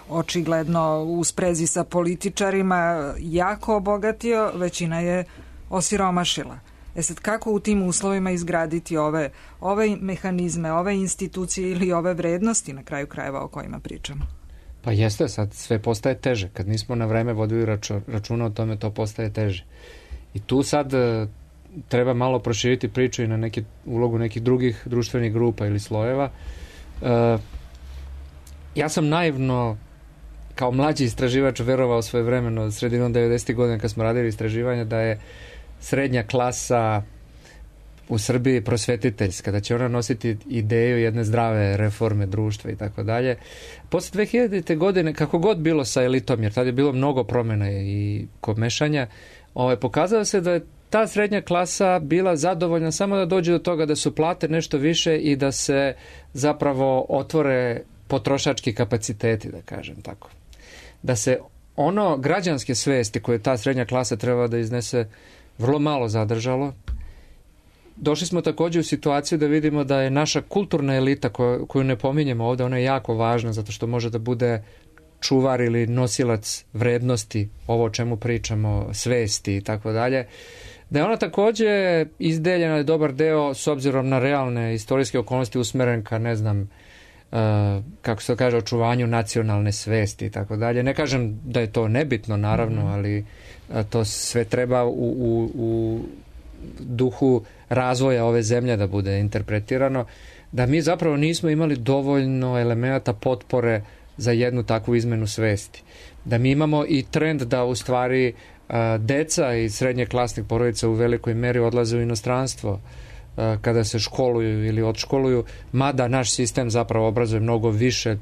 očigledno u sprezi sa političarima jako obogatio, većina je osiromašila. E sad, kako u tim uslovima izgraditi ove, ove mehanizme, ove institucije ili ove vrednosti na kraju krajeva o kojima pričamo? Pa jeste, sad sve postaje teže. Kad nismo na vreme vodili računa, računa o tome, to postaje teže. I tu sad e, treba malo proširiti priču i na neki, ulogu nekih drugih društvenih grupa ili slojeva. E, ja sam naivno, kao mlađi istraživač, verovao svoje vremeno, sredinom devedesetih godina kad smo radili istraživanja, da je srednja klasa u Srbiji prosvetiteljska, da će ona nositi ideju jedne zdrave reforme društva i tako dalje. Posle dve hiljadite. godine, kako god bilo sa elitom, jer tada je bilo mnogo promjena i komešanja, ovaj, pokazalo se da je ta srednja klasa bila zadovoljna samo da dođe do toga da su plate nešto više i da se zapravo otvore potrošački kapaciteti, da kažem tako. Da se ono građanske svesti koje ta srednja klasa treba da iznese vrlo malo zadržalo. Došli smo također u situaciju da vidimo da je naša kulturna elita koju, koju ne pominjemo ovdje, ona je jako važna zato što može da bude čuvar ili nosilac vrednosti, ovo o čemu pričamo, svesti i tako dalje, da je ona također izdeljena dobar deo s obzirom na realne istorijske okolnosti usmeren ka, ne znam, uh, kako se to kaže, očuvanju nacionalne svesti i tako dalje. Ne kažem da je to nebitno, naravno, mm-hmm. ali uh, to sve treba u, u, u duhu razvoja ove zemlje da bude interpretirano, da mi zapravo nismo imali dovoljno elemenata potpore za jednu takvu izmenu svesti. Da mi imamo i trend da u stvari a, deca iz srednje klasnih porodica u velikoj meri odlaze u inostranstvo a, kada se školuju ili odškoluju, mada naš sistem zapravo obrazuje mnogo više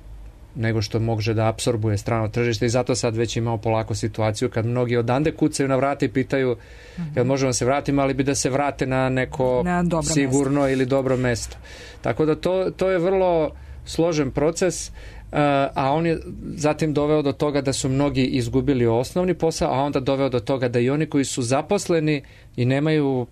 nego što može da apsorbuje strano tržište i zato sad već imamo polako situaciju kad mnogi odande kucaju na vrata i pitaju mm-hmm. jel možemo se vratiti, ali bi da se vrate na neko na sigurno mesto. Ili dobro mesto. Tako da to, to je vrlo složen proces, a on je zatim doveo do toga da su mnogi izgubili osnovni posao, a onda doveo do toga da i oni koji su zaposleni i nemaju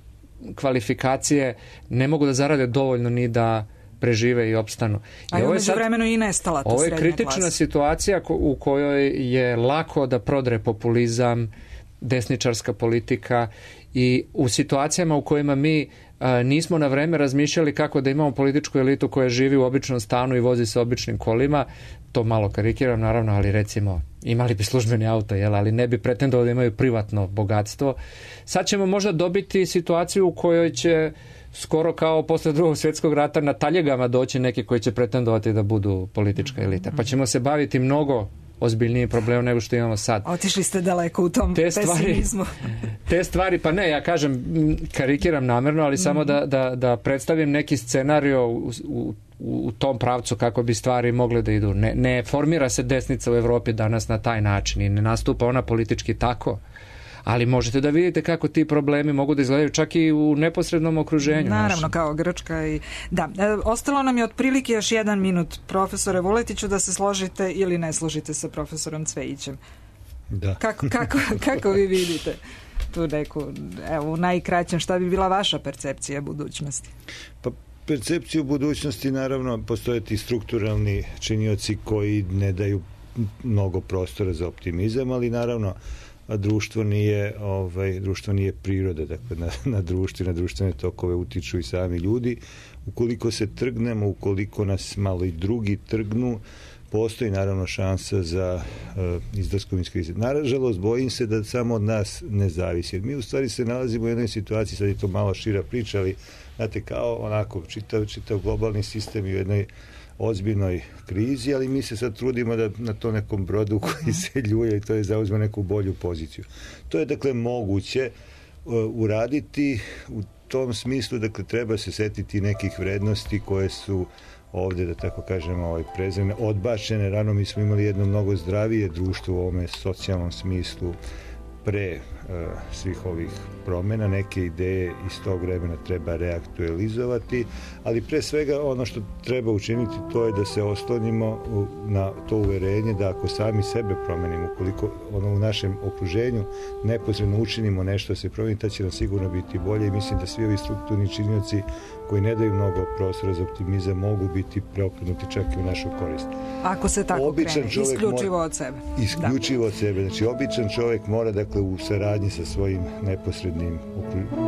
kvalifikacije ne mogu da zarade dovoljno ni da prežive i opstanu. A je umeđu vremenu i nestala ta srednja klasa. Ovo je kritična situacija u kojoj je lako da prodre populizam, desničarska politika i u situacijama u kojima mi a, nismo na vreme razmišljali kako da imamo političku elitu koja živi u običnom stanu i vozi se običnim kolima, to malo karikiram naravno, ali recimo imali bi službeni auto, jel, ali ne bi pretendovali da imaju privatno bogatstvo. Sad ćemo možda dobiti situaciju u kojoj će skoro kao posle drugog svjetskog rata na taljegama doći neki koji će pretendovati da budu politička elita. Pa ćemo se baviti mnogo ozbiljniji problem nego što imamo sad. Otišli ste daleko u tom te pesimizmu. Stvari, te stvari, pa ne, ja kažem, karikiram namerno, ali mm-hmm. samo da, da, da predstavim neki scenario u, u, u tom pravcu kako bi stvari mogle da idu. Ne, ne formira se desnica u Evropi danas na taj način i ne nastupa ona politički tako. Ali možete da vidite kako ti problemi mogu da izgledaju čak i u neposrednom okruženju. Naravno, našem. Kao Grčka i... Da, e, ostalo nam je otprilike još jedan minut. Profesore Vuletiću, da se složite ili ne složite sa profesorom Cvejićem. Da. Kako, kako, kako vi vidite tu neku, evo, u najkraćem, šta bi bila vaša percepcija budućnosti? Pa percepciju budućnosti, naravno, postoje ti strukturalni činioci koji ne daju mnogo prostora za optimizam, ali naravno a društvo nije, ovaj, društvo nije priroda, dakle na, na društvo i na društvene tokove utiču i sami ljudi. Ukoliko se trgnemo, ukoliko nas malo i drugi trgnu, postoji naravno šansa za uh, izlaskom iz krize. Nažalost, bojim se da samo od nas ne zavisi. Jer mi u stvari se nalazimo u jednoj situaciji, sad je to malo šira priča, ali znate, kao onako čitav, čitav globalni sistem i u jednoj ozbiljnoj krizi, ali mi se sad trudimo da na to nekom brodu koji se ljuje i to je zauzme neku bolju poziciju. To je dakle moguće uh, uraditi u tom smislu, dakle treba se setiti nekih vrednosti koje su ovde, da tako kažemo, ovaj, prezrene, odbačene. Rano mi smo imali jedno mnogo zdravije društvo u ovome socijalnom smislu pre uh, svih ovih promjena. Neke ideje iz tog vremena treba reaktualizovati, ali pre svega ono što treba učiniti to je da se oslonimo u, na to uverenje da ako sami sebe promenimo, ukoliko ono u našem okruženju neposredno učinimo nešto da se promeni, tad će nam sigurno biti bolje i mislim da svi ovi strukturni činioci koji ne daju mnogo prostora za optimizam mogu biti preokrenuti čak i u našu korist. Ako se tako običan krene, isključivo mora, od sebe. Isključivo da. od sebe. Znači, običan čovjek mora, dakle, u saradnji sa svojim neposrednim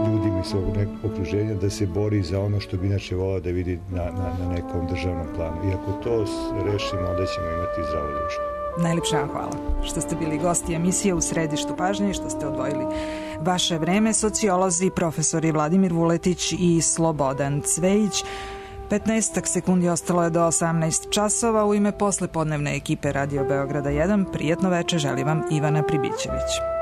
ljudima i svog okruženja da se bori za ono što bi inače volao da vidi na, na, na nekom državnom planu. I ako to rešimo, onda ćemo imati zdravo društvo. Najlepša vam hvala što ste bili gosti emisije U središtu pažnje i što ste odvojili vaše vreme. Sociolozi, profesori Vladimir Vuletić i Slobodan Cvejić. petnaest sekundi ostalo je do osamnaest časova. U ime poslepodnevne ekipe Radio Beograda jedan, prijetno veče želi vam Ivana Pribićević.